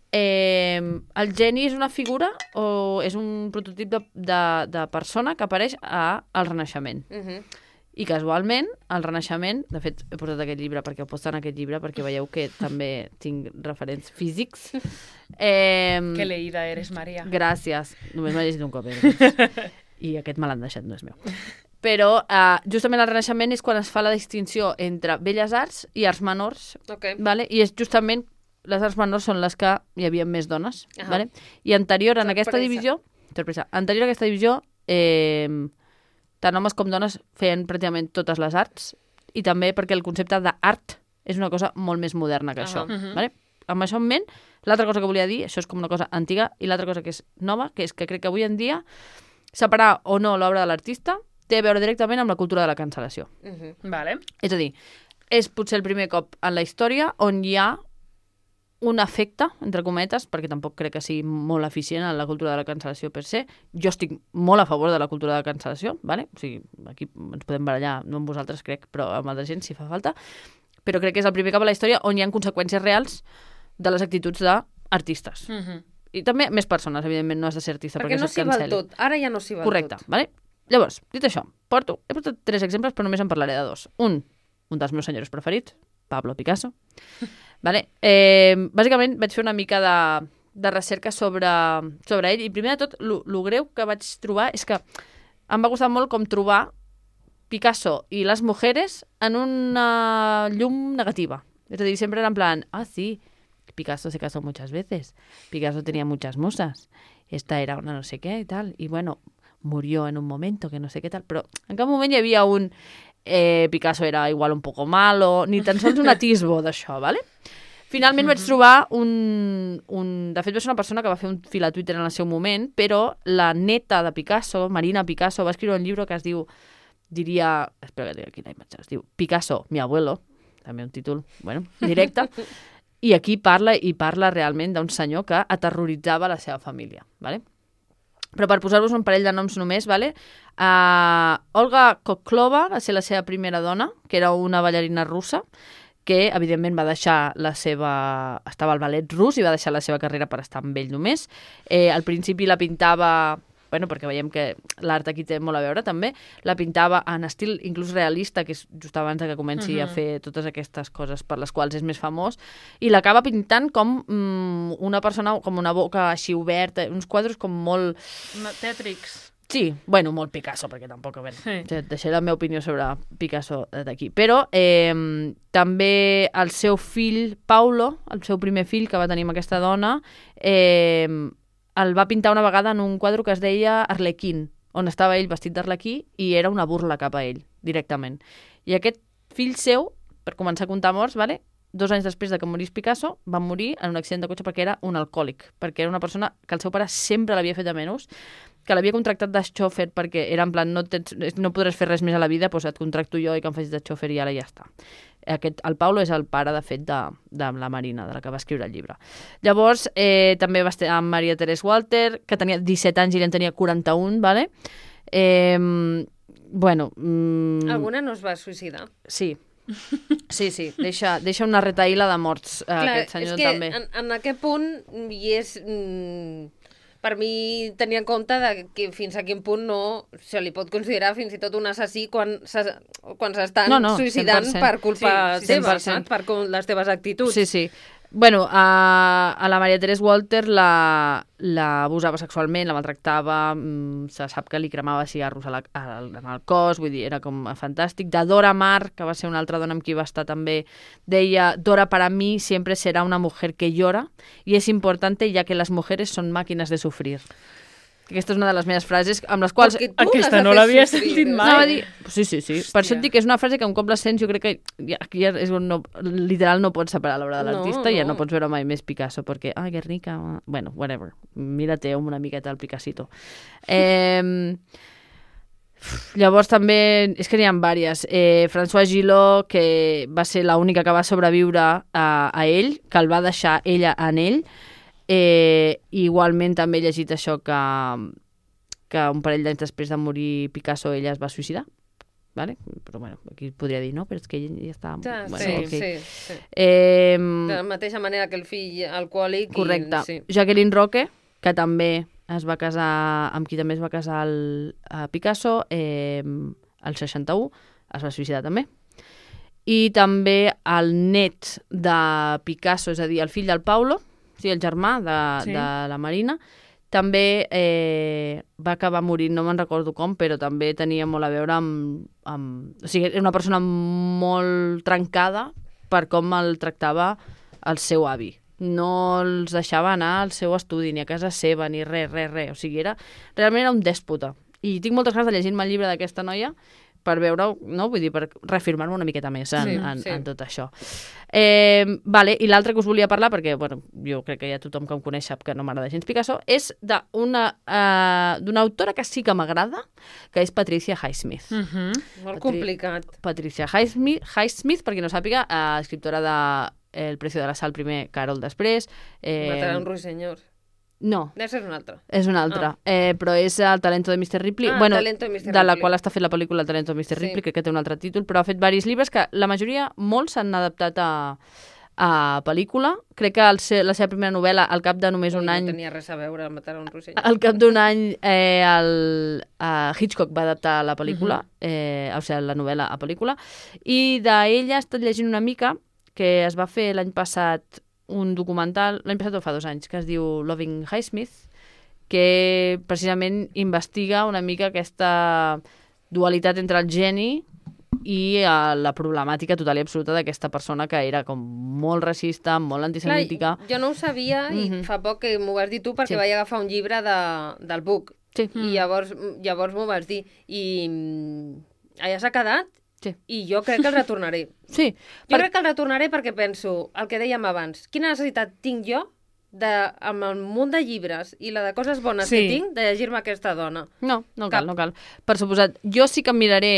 El geni és una figura o és un prototip de persona que apareix al Renaixement. I casualment, al Renaixement, de fet, he portat aquest llibre perquè ho posto en aquest llibre, perquè veieu que també tinc referents físics. Que leïda eres, Maria. Gràcies. Només m'ha llegit un cop. I aquest me l'han deixat, no és meu. Però justament al Renaixement és quan es fa la distinció entre belles arts i arts menors. Vale? I és justament les arts menors són les que hi havia més dones. Vale? I anterior a aquesta divisió, tant homes com dones feien pràcticament totes les arts i també perquè el concepte d'art és una cosa molt més moderna que això. Vale? Amb això en ment, l'altra cosa que volia dir, això és com una cosa antiga, i l'altra cosa que és nova, que és que crec que avui en dia separar o no l'obra de l'artista té a veure directament amb la cultura de la cancel·lació. Vale. És a dir, és potser el primer cop en la història on hi ha un efecte, entre cometes, perquè tampoc crec que sigui molt eficient en la cultura de la cancel·lació per se. Jo estic molt a favor de la cultura de la cancel·lació, ¿vale? O sigui, aquí ens podem barallar, no amb vosaltres crec, però amb altra gent si fa falta. Però crec que és el primer cop a la història on hi ha conseqüències reals de les actituds d'artistes. I també més persones, evidentment, no has de ser artista perquè no s'hi val tot, ara ja no s'hi val tot. Correcte, ¿vale? Llavors, dit això, he portat 3 exemples, però només en parlaré de 2. Un dels meus senyors preferits, Pablo Picasso. Vale. Bàsicament vaig fer una mica de recerca sobre ell i primer de tot el greu que vaig trobar és que em va costar molt com trobar Picasso i les mujeres en una llum negativa. És a dir, sempre era en plan, sí, Picasso se casó muchas veces, Picasso tenía muchas musas, esta era una no sé qué y tal, y bueno, murió en un momento que no sé qué tal, però en cap moment hi havia un Picasso era igual un poco malo, ni tan sols un atisbo d'això, ¿vale? Finalment vaig trobar de fet va ser una persona que va fer un fil a Twitter en el seu moment, però la neta de Picasso, Marina Picasso, va escriure un llibre que es diu, espera que tinc aquí la imatge, es diu Picasso, mi abuelo, també un títol, bueno, directe, i aquí parla realment d'un senyor que aterroritzava la seva família, ¿vale? Però per posar-vos un parell de noms només, ¿vale? Olga Koklova va ser la seva primera dona, que era una ballarina russa, que evidentment va deixar estava al ballet rus i va deixar la seva carrera per estar amb ell només. Al principi la pintava bueno, perquè veiem que l'art aquí té molt a veure també, la pintava en estil inclús realista, que és just abans que comenci a fer totes aquestes coses per les quals és més famós, i l'acaba pintant com una persona, com una boca així oberta, uns quadres com molt... Tètrics. Sí, bueno, molt Picasso, perquè tampoc, a veure, deixaré la meva opinió sobre Picasso d'aquí. Però també el seu fill, Paulo, el seu primer fill que va tenir amb aquesta dona, el va pintar una vegada en un quadre que es deia Arlequín, on estava ell vestit d'arlequí i era una burla cap a ell, directament. I aquest fill seu, per començar a comptar morts, 2 anys després de que morís Picasso, va morir en un accident de cotxe perquè era un alcohòlic, perquè era una persona que el seu pare sempre l'havia fet de menys, que l'havia contractat de xòfer perquè era en plan, no podràs fer res més a la vida, doncs et contracto jo i que em facis de xòfer i ara ja està. El Paulo és el pare, de fet, de la Marina, de la que va escriure el llibre. Llavors, també va estar amb Maria Teresa Walter, que tenia 17 anys i ell en tenia 41, ¿vale? Bueno... Alguna no es va suïcidar? Sí. Sí. Deixa una retaïla de morts, aquest senyor també. Clar, és que en aquest punt hi és... Per mi, tenir en compte que fins a quin punt no se li pot considerar fins i tot un assassí quan s'estan suïcidant 100%. Per culpa seva, saps? Per les teves actituds. Sí. Bueno, a la Maria Teresa Walter l'abusava sexualment, la maltractava, se sap que li cremava cigarros en el cos, vull dir, era com fantàstic. De Dora Maar, que va ser una altra dona amb qui va estar també, deia: Dora para mí siempre será una mujer que llora y es importante ya que las mujeres son máquinas de sufrir. Aquesta és una de les meves frases amb les quals... Aquesta no l'havia sentit mai. Sí. Per això et dic que és una frase que un cop la sents jo crec que aquí és on literal no pots separar l'obra de l'artista i ja no pots veure mai més Picasso perquè, Guernica, bueno, whatever. Mira-te una miqueta el Picassito. Llavors també, és que n'hi ha diverses. François Gillot, que va ser l'única que va sobreviure a ell, que el va deixar ella en ell. Igualment també he llegit això que un parell d'anys després de morir Picasso ella es va suïcidar, vale? Però bueno, aquí podria dir no, però és que ell ja està... Sí. De la mateixa manera que el fill alcohòlic. Correcte. Jacqueline Roque, que també es va casar, amb qui també es va casar Picasso, el 61, es va suïcidar també. I també el net de Picasso, és a dir, el fill del Paulo, sí, el germà de la Marina, també va acabar morint, no me'n recordo com, però també tenia molt a veure amb... O sigui, era una persona molt trencada per com el tractava el seu avi. No els deixava anar al seu estudi, ni a casa seva, ni res. O sigui, realment era un dèspota. I tinc moltes ganes de llegir-me el llibre d'aquesta noia per veure-ho, no? Vull dir, per reafirmar-me una miqueta més en tot això. Vale, i l'altre que us volia parlar, perquè bueno, jo crec que ja tothom que em coneix sap que no m'agrada gens Picasso, és d'una autora que sí que m'agrada, que és Patricia Highsmith. Molt complicat. Patricia Highsmith, per qui no sàpiga, escriptora de El precio de la sal primer, Carol després. Matarà un ruiseñor. No. És una altra. És una altra. Però és el Talento de Mr. Ripley. De la qual està fent la pel·lícula El Talento de Mr. Ripley, crec que té un altre títol, però ha fet diversos llibres que la majoria, molts s'han adaptat a pel·lícula. Crec que la seva primera novel·la, al cap de només un any... No tenia res a veure amb matar un rosselló. Al cap d'un any, Hitchcock va adaptar la pel·lícula, o sigui, la novel·la a pel·lícula, i d'ella he estat llegint una mica, que es va fer l'any passat un documental, l'any passat o fa 2 anys, que es diu Loving Highsmith, que precisament investiga una mica aquesta dualitat entre el geni i la problemàtica total i absoluta d'aquesta persona que era com molt racista, molt antisemítica. Clar, jo no ho sabia i fa poc que m'ho vas dir tu perquè vaig agafar un llibre del Book i llavors m'ho vas dir i allà s'ha quedat. Sí. I jo crec que el retornaré. Sí. Crec que el retornaré perquè penso, el que dèiem abans, quina necessitat tinc jo amb el munt de llibres i la de coses bones que tinc de llegir-me aquesta dona? No cal. Per suposat, jo sí que em miraré,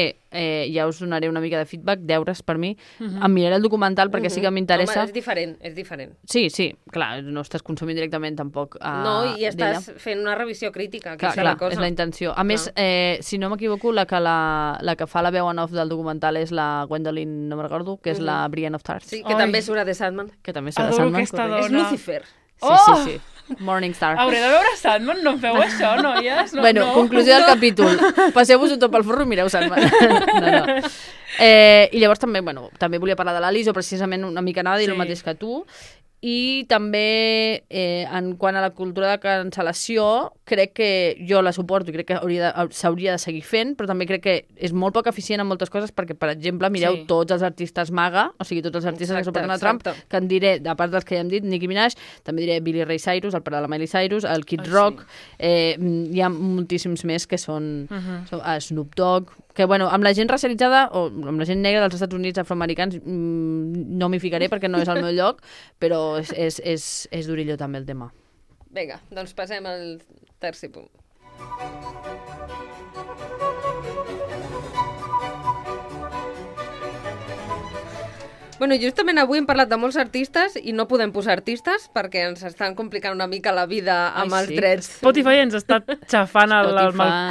ja us donaré una mica de feedback, deures per mi, em miraré el documental perquè sí que m'interessa. Home, és diferent. Sí, clar, no estàs consumint directament tampoc no, i estàs fent una revisió crítica, que és la cosa. És la intenció. A més, si no m'equivoco, la que fa la veu en off del documental és la Gwendolyn, no me'n recordo, que és la Brienne of Tarth. Sí, que també surt a The Sandman. Que també surt a The Sandman. És Lucifer. Sí. Morningstar. Hauré de veure Sandman, no em feu això, noies? No, Bueno, no. conclusió del capítol. Passeu-vos-ho tot pel forro i mireu Sandman. No. I llavors també, també volia parlar de l'Alice, o precisament una mica anava a dir el mateix que tu. I també, en quant a la cultura de cancel·lació, crec que jo la suporto i crec que s'hauria de seguir fent, però també crec que és molt poc eficient en moltes coses perquè, per exemple, mireu tots els artistes MAGA, o sigui, tots els artistes que suporten a Trump, que en diré, a part dels que ja hem dit, Nicki Minaj, també diré Billy Ray Cyrus, el pare de la Miley Cyrus, el Kid Rock, hi ha moltíssims més que són Snoop Dogg, que, amb la gent racialitzada o amb la gent negra dels Estats Units afroamericans no m'hi ficaré perquè no és el meu lloc, però és durilló també el tema. Vinga, doncs passem al tercer punt. Bueno, justament avui hem parlat de molts artistes i no podem posar artistes perquè ens estan complicant una mica la vida amb els drets. Spotify ens està xafant el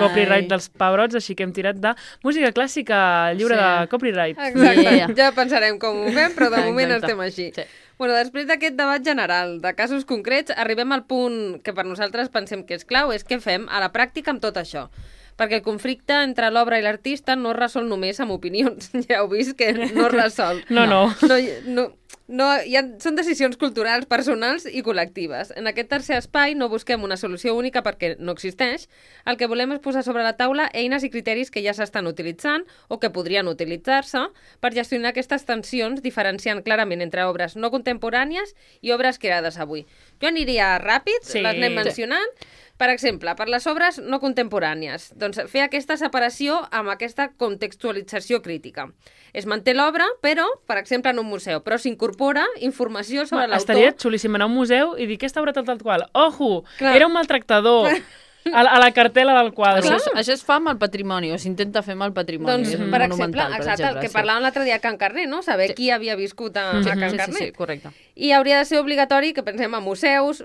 copyright dels pebrots, així que hem tirat de música clàssica lliure de copyright. Exacte, ja pensarem com ho fem, però de moment estem així. Sí. Bueno, després d'aquest debat general de casos concrets, arribem al punt que per nosaltres pensem que és clau, és què fem a la pràctica amb tot això. Perquè el conflicte entre l'obra i l'artista no es resol només amb opinions. Ja heu vist que no es resol. Són decisions culturals, personals i col·lectives. En aquest tercer espai no busquem una solució única perquè no existeix. El que volem és posar sobre la taula eines i criteris que ja s'estan utilitzant o que podrien utilitzar-se per gestionar aquestes tensions, diferenciant clarament entre obres no contemporànies i obres creades avui. Jo aniria ràpid, les anem mencionant. Per exemple, per les obres no contemporànies, doncs fer aquesta separació amb aquesta contextualització crítica. Es manté l'obra, però, per exemple, en un museu, però s'incorpora informació sobre l'autor. Estaria xulíssim anar a un museu i dir aquesta obra tal qual. Ojo, era un maltractador. A la cartela del quadre. Això es fa amb el patrimoni, o s'intenta fer amb el patrimoni. Doncs, per exemple, el que parlàvem l'altre dia a Can Carner, no? Saber qui havia viscut a Can Carner. Sí, correcte. I hauria de ser obligatori que pensem en museus,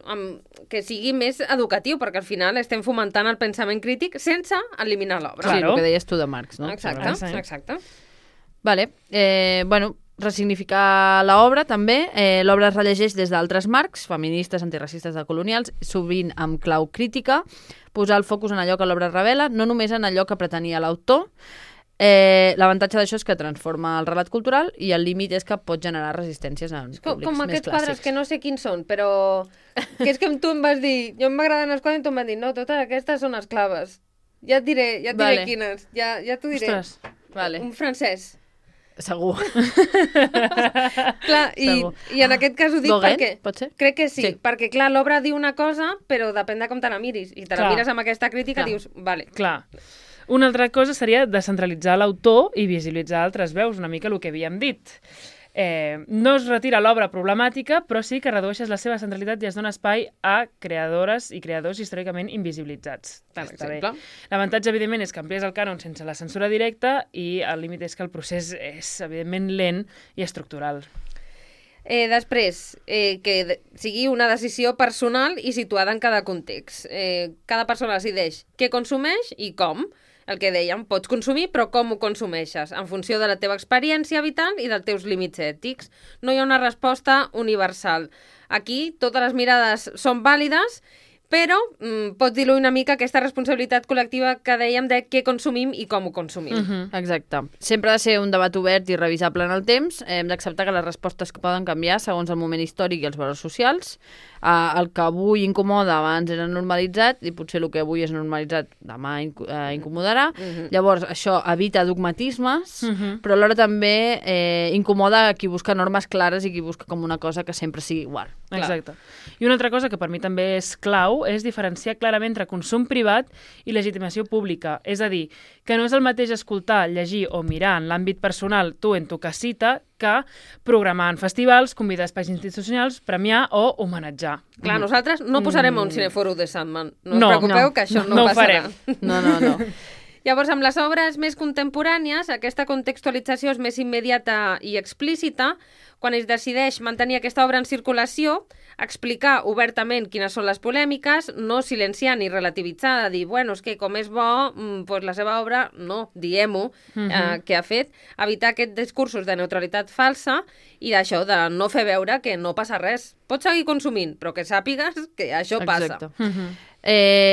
que sigui més educatiu, perquè al final estem fomentant el pensament crític sense eliminar l'obra. Sí, el que deies tu de Marx, no? Exacte. Vale, ressignificar l'obra també. L'obra es rellegeix des d'altres marcs, feministes, antiracistes, decolonials, sovint amb clau crítica, posar el focus en allò que l'obra revela, no només en allò que pretenia l'autor. L'avantatge d'això és que transforma el relat cultural i el límit és que pot generar resistències en públics més clàssics. Com aquests quadres que no sé quins són, però que és que tu em vas dir, jo m'agraden els quadres i tu em vas dir, no, totes aquestes són esclaves. Ja et diré quines, ja t'ho diré. Ostres, vale. Un francès. Segur. Clar, i en aquest cas ho dic Gauguin, perquè... pot ser? Crec que sí, perquè clar, l'obra diu una cosa, però depèn de com te la miris. I te la mires amb aquesta crítica i dius, vale. Clar. Una altra cosa seria descentralitzar l'autor i visibilitzar altres veus, una mica el que havíem dit. No es retira l'obra problemàtica, però sí que redueixes la seva centralitat i es dona espai a creadores i creadors històricament invisibilitzats. Per exemple. L'avantatge, evidentment, és que amplies el cànon sense la censura directa i el límit és que el procés és, evidentment, lent i estructural. Després, que sigui una decisió personal i situada en cada context. Cada persona decideix què consumeix i com. El que dèiem, pots consumir, però com ho consumeixes? En funció de la teva experiència vital i dels teus límits ètics. No hi ha una resposta universal. Aquí totes les mirades són vàlides, però pots diluir una mica aquesta responsabilitat col·lectiva que dèiem de què consumim i com ho consumim. Exacte. Sempre ha de ser un debat obert i revisable en el temps. Hem d'acceptar que les respostes poden canviar segons el moment històric i els valors socials. El que avui incomoda abans era normalitzat i potser el que avui és normalitzat demà incomodarà. Llavors, això evita dogmatismes, però alhora també incomoda qui busca normes clares i qui busca com una cosa que sempre sigui igual. Exacte. I una altra cosa que per mi també és clau és diferenciar clarament entre consum privat i legitimació pública. És a dir, que no és el mateix escoltar, llegir o mirar en l'àmbit personal tu en tu casita que programar en festivals, convidar a espais institucionals, premiar o homenatjar. Clar, nosaltres no posarem un cineforo de Sandman. No us preocupeu que això no passarà. No. Llavors, amb les obres més contemporànies, aquesta contextualització és més immediata i explícita. Quan es decideix mantenir aquesta obra en circulació, explicar obertament quines són les polèmiques, no silenciar ni relativitzar, de dir, bueno, és que com és bo, doncs la seva obra, no, diguem-ho, que ha fet, evitar aquests discursos de neutralitat falsa i d'això, de no fer veure que no passa res. Pots seguir consumint, però que sàpigues que això passa.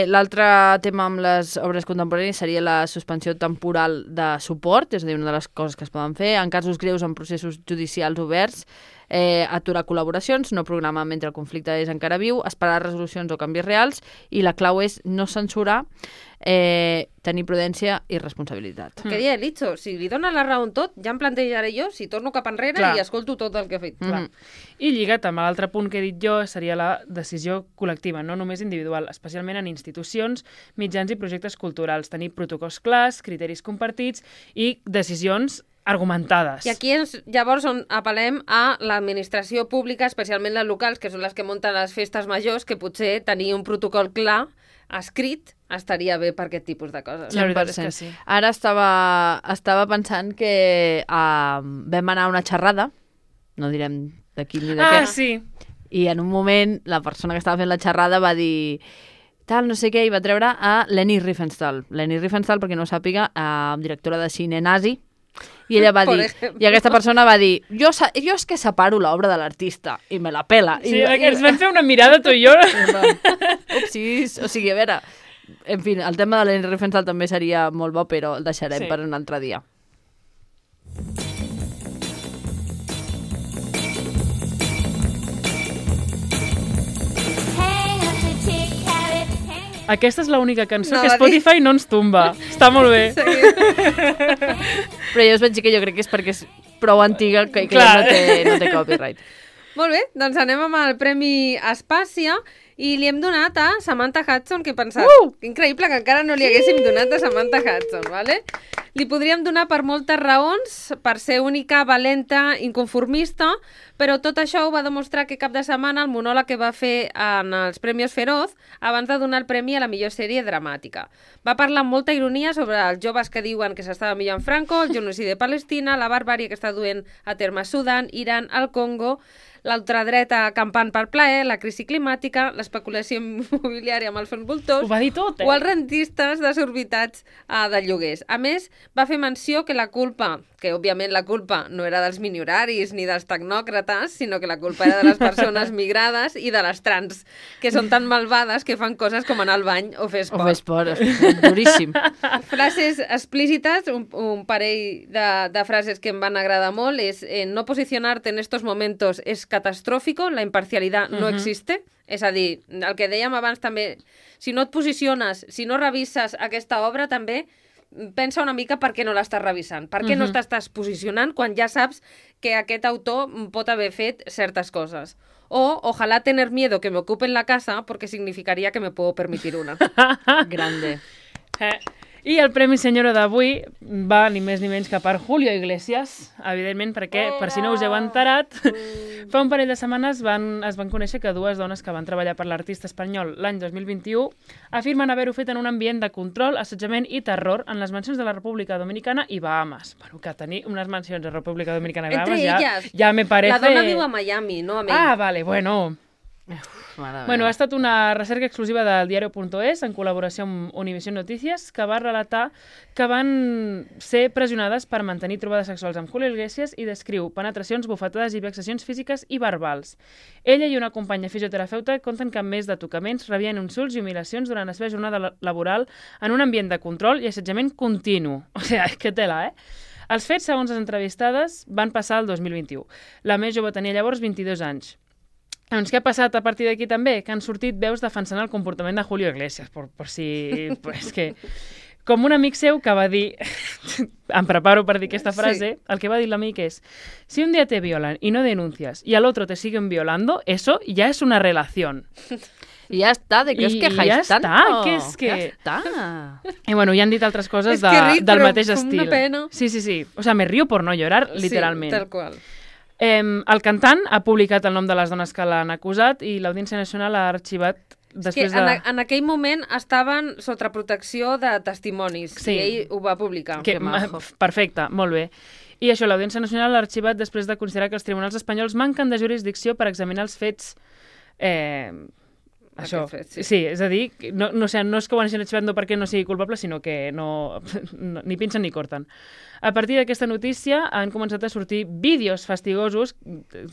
L'altre tema amb les obres contemporànies seria la suspensió temporal de suport, és a dir, una de les coses que es poden fer. En casos greus en processos judicials oberts, aturar col·laboracions, no programar mentre el conflicte és encara viu, esperar resolucions o canvis reals, i la clau és no censurar, tenir prudència i responsabilitat. Què dia, Litzo? Si li dona la raó en tot, ja em plantejaré jo si torno cap enrere i escolto tot el que ha fet. I lligat amb l'altre punt que he dit jo seria la decisió col·lectiva, no només individual, especialment en institucions, mitjans i projectes culturals. Tenir protocols clars, criteris compartits i decisions argumentades. I aquí és llavors on apel·lem a l'administració pública, especialment les locals, que són les que munten les festes majors, que potser tenir un protocol clar, escrit, estaria bé per aquest tipus de coses. La veritat és que sí. Ara estava pensant que vam anar a una xerrada, no direm de quin ni de què. Sí. I en un moment la persona que estava fent la xerrada va dir tal, no sé què, i va treure a Leni Riefenstahl. Leni Riefenstahl, perquè no ho sàpiga, directora de cine nazi, i ella va dir, i aquesta persona va dir, jo és que separo l'obra de l'artista i me la pela. Sí, ens vam fer una mirada tu i jo. Upsis, o sigui, a veure, en fi, el tema de Leni Riefenstahl també seria molt bo, però el deixarem per un altre dia. Aquesta és l'única cançó que Spotify no ens tomba. Està molt bé. Però jo us vaig dir que jo crec que és perquè és prou antiga que no té copyright. Molt bé, doncs anem amb el Premi Espàcia i li hem donat a Samantha Hudson, que he pensat, increïble que encara no li haguéssim donat a Samantha Hudson, ¿vale? Li podríem donar per moltes raons, per ser única, valenta, inconformista, però tot això ho va demostrar que cap de setmana el monòleg que va fer en els Premis Feroz abans de donar el premi a la millor sèrie dramàtica. Va parlar amb molta ironia sobre els joves que diuen que s'estava millor en Franco, el genocidi de Palestina, la barbàrie que està duent a terme a Sudan, Iran, el Congo, l'ultradreta campant per plaer, la crisi climàtica, l'especulació immobiliària amb els fons voltors, ho va dir tot, o els rentistes desorbitats de lloguers. A més, va fer menció que la culpa, que òbviament la culpa no era dels minioraris ni dels tecnòcrates, sinó que la culpa era de les persones migrades i de les trans, que són tan malvades que fan coses com anar al bany o fer esport. O fer esport, duríssim. Frases explícites, un parell de frases que em van agradar molt, és no posicionarte en estos momentos es catastrófico, la imparcialidad no existe. És a dir, el que dèiem abans també, si no et posiciones, si no revises aquesta obra també, pensa una mica per què no l'estàs revisant, per què no t'estàs posicionant quan ja saps que aquest autor pot haver fet certes coses. O, ojalá tener miedo que me ocupen la casa porque significaría que me puedo permitir una. Grande. I el Premi Senyora d'avui va ni més ni menys que per Julio Iglesias, evidentment, perquè, per si no us heu enterat, fa un parell de setmanes es van conèixer que dues dones que van treballar per l'artista espanyol l'any 2021 afirmen haver-ho fet en un ambient de control, assetjament i terror en les mansions de la República Dominicana i Bahamas. Bueno, que tenir unes mansions a República Dominicana i Bahamas ja me parece... La dona viu a Miami, no a Maine. Ah, vale, bueno... Bueno, ha estat una recerca exclusiva del diario.es en col·laboració amb Univision Noticias que va relatar que van ser pressionades per mantenir trobades sexuals amb Julio Iglesias i descriu penetracions, bufetades i vexacions físiques i verbals. Ella i una companya fisioterapeuta conten que, a més de tocaments, rebien insults i humiliacions durant la seva jornada laboral en un ambient de control i assetjament continu. O sigui, que tela, Els fets, segons les entrevistades, van passar el 2021. La més jove tenia llavors 22 anys. Doncs què ha passat a partir d'aquí també? Que han sortit veus defensant el comportament de Julio Iglesias, per si... Pues que... Com un amic seu que va dir... em preparo per dir aquesta frase. Sí. El que va dir l'amic és: si un día te violan y no denuncias y al otro te siguen violando, eso ya es una relación. I ja està, de què us quejáis tant? Que és que... Ja està. I bueno, ja han dit altres coses del mateix estil. Sí. O sea, me río por no llorar, literalment. Sí, tal qual. El cantant ha publicat el nom de les dones que l'han acusat i l'Audiència Nacional ha arxivat després en aquell moment estaven sota protecció de testimonis i ell ho va publicar. Perfecte, molt bé. I això, l'Audiència Nacional l'ha arxivat després de considerar que els tribunals espanyols manquen de jurisdicció per examinar els fets... Això, sí, és a dir, no és que ho hagin arxivat no perquè no sigui culpable, sinó que ni pinchen ni corten. A partir d'aquesta notícia han començat a sortir vídeos fastigosos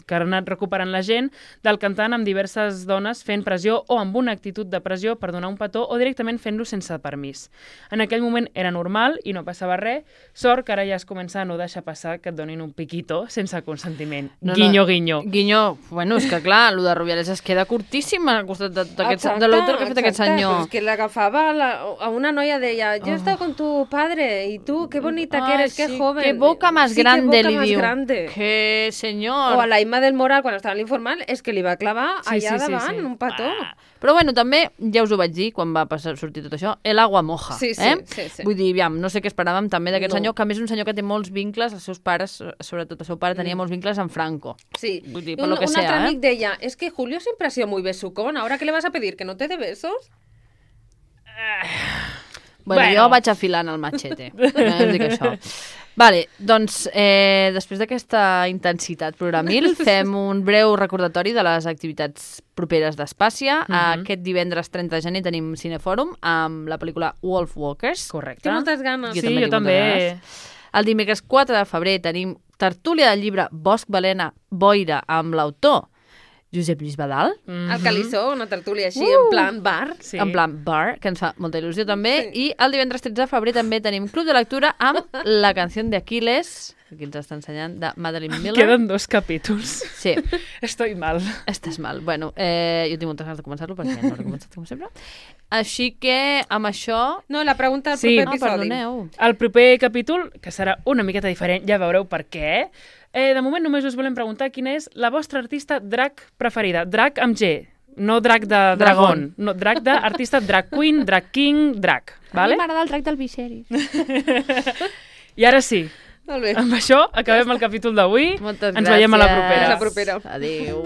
que han anat recuperant la gent del cantant amb diverses dones fent pressió o amb una actitud de pressió per donar un petó o directament fent-lo sense permís. En aquell moment era normal i no passava res. Sort que ara ja es comença a no deixar passar que et donin un piquito sense consentiment. Guinyo, guinyo. Guinyo, bueno, és que clar, el de Rubiales es queda curtíssim al costat de l'autor que ha fet aquest senyor. És que l'agafava a una noia, deia, yo he estado con tu padre y tú, qué bonita que eres, qué joven. Qué boca más grande, li diu. Que senyor. O a la Imma del Moral, quan estava en l'informal, és que li va clavar allà davant un petó. Però bueno, també, ja us ho vaig dir, quan va sortir tot això, el agua moja. Sí. Vull dir, no sé què esperàvem també d'aquest senyor, que a més és un senyor que té molts vincles, els seus pares, sobretot el seu pare, tenia molts vincles amb Franco. Sí. Vull dir, un altre amic deia, es que Julio siempre ha sido muy besucón, ahora que le vas a pedir que no te dé besos? Bueno, jo vaig afilant el machete. Dic això. Vale, doncs, després d'aquesta intensitat programil, fem un breu recordatori de les activitats properes d'Espàcia. Aquest divendres 30 de gener tenim Cinefòrum amb la pel·lícula Wolf Walkers. Correcte. Tinc moltes ganes. Jo també. El dimecres 4 de febrer tenim tertúlia del llibre Bosc, Balena, Boira amb l'autor Josep Lluís Badal. El Calissó, una tertúlia així, en plan bar. Sí. En plan bar, que ens fa molta il·lusió també. Sí. I el divendres 13 de febrer també tenim Club de Lectura amb La canció d'Aquiles, aquí ens està ensenyant, de Madeline Miller. Queden 2 capítols. Sí. Estoy mal. Estàs mal. Bueno, jo tinc moltes ganes de començar-lo perquè no l'he començat com sempre. Així que amb això... No, la pregunta del proper episodi. Perdoneu. El proper capítol, que serà una miqueta diferent, ja veureu per què. De moment només us volem preguntar quina és la vostra artista drag preferida. Drag amb G, no drag de dragón. No, drag d'artista drag queen, drag king, drag. Vale? A mi m'agrada el drag del Viserys. I ara sí. Molt bé. Amb això acabem el capítol d'avui. Moltes gràcies. Ens veiem a la propera. A la propera. Adéu.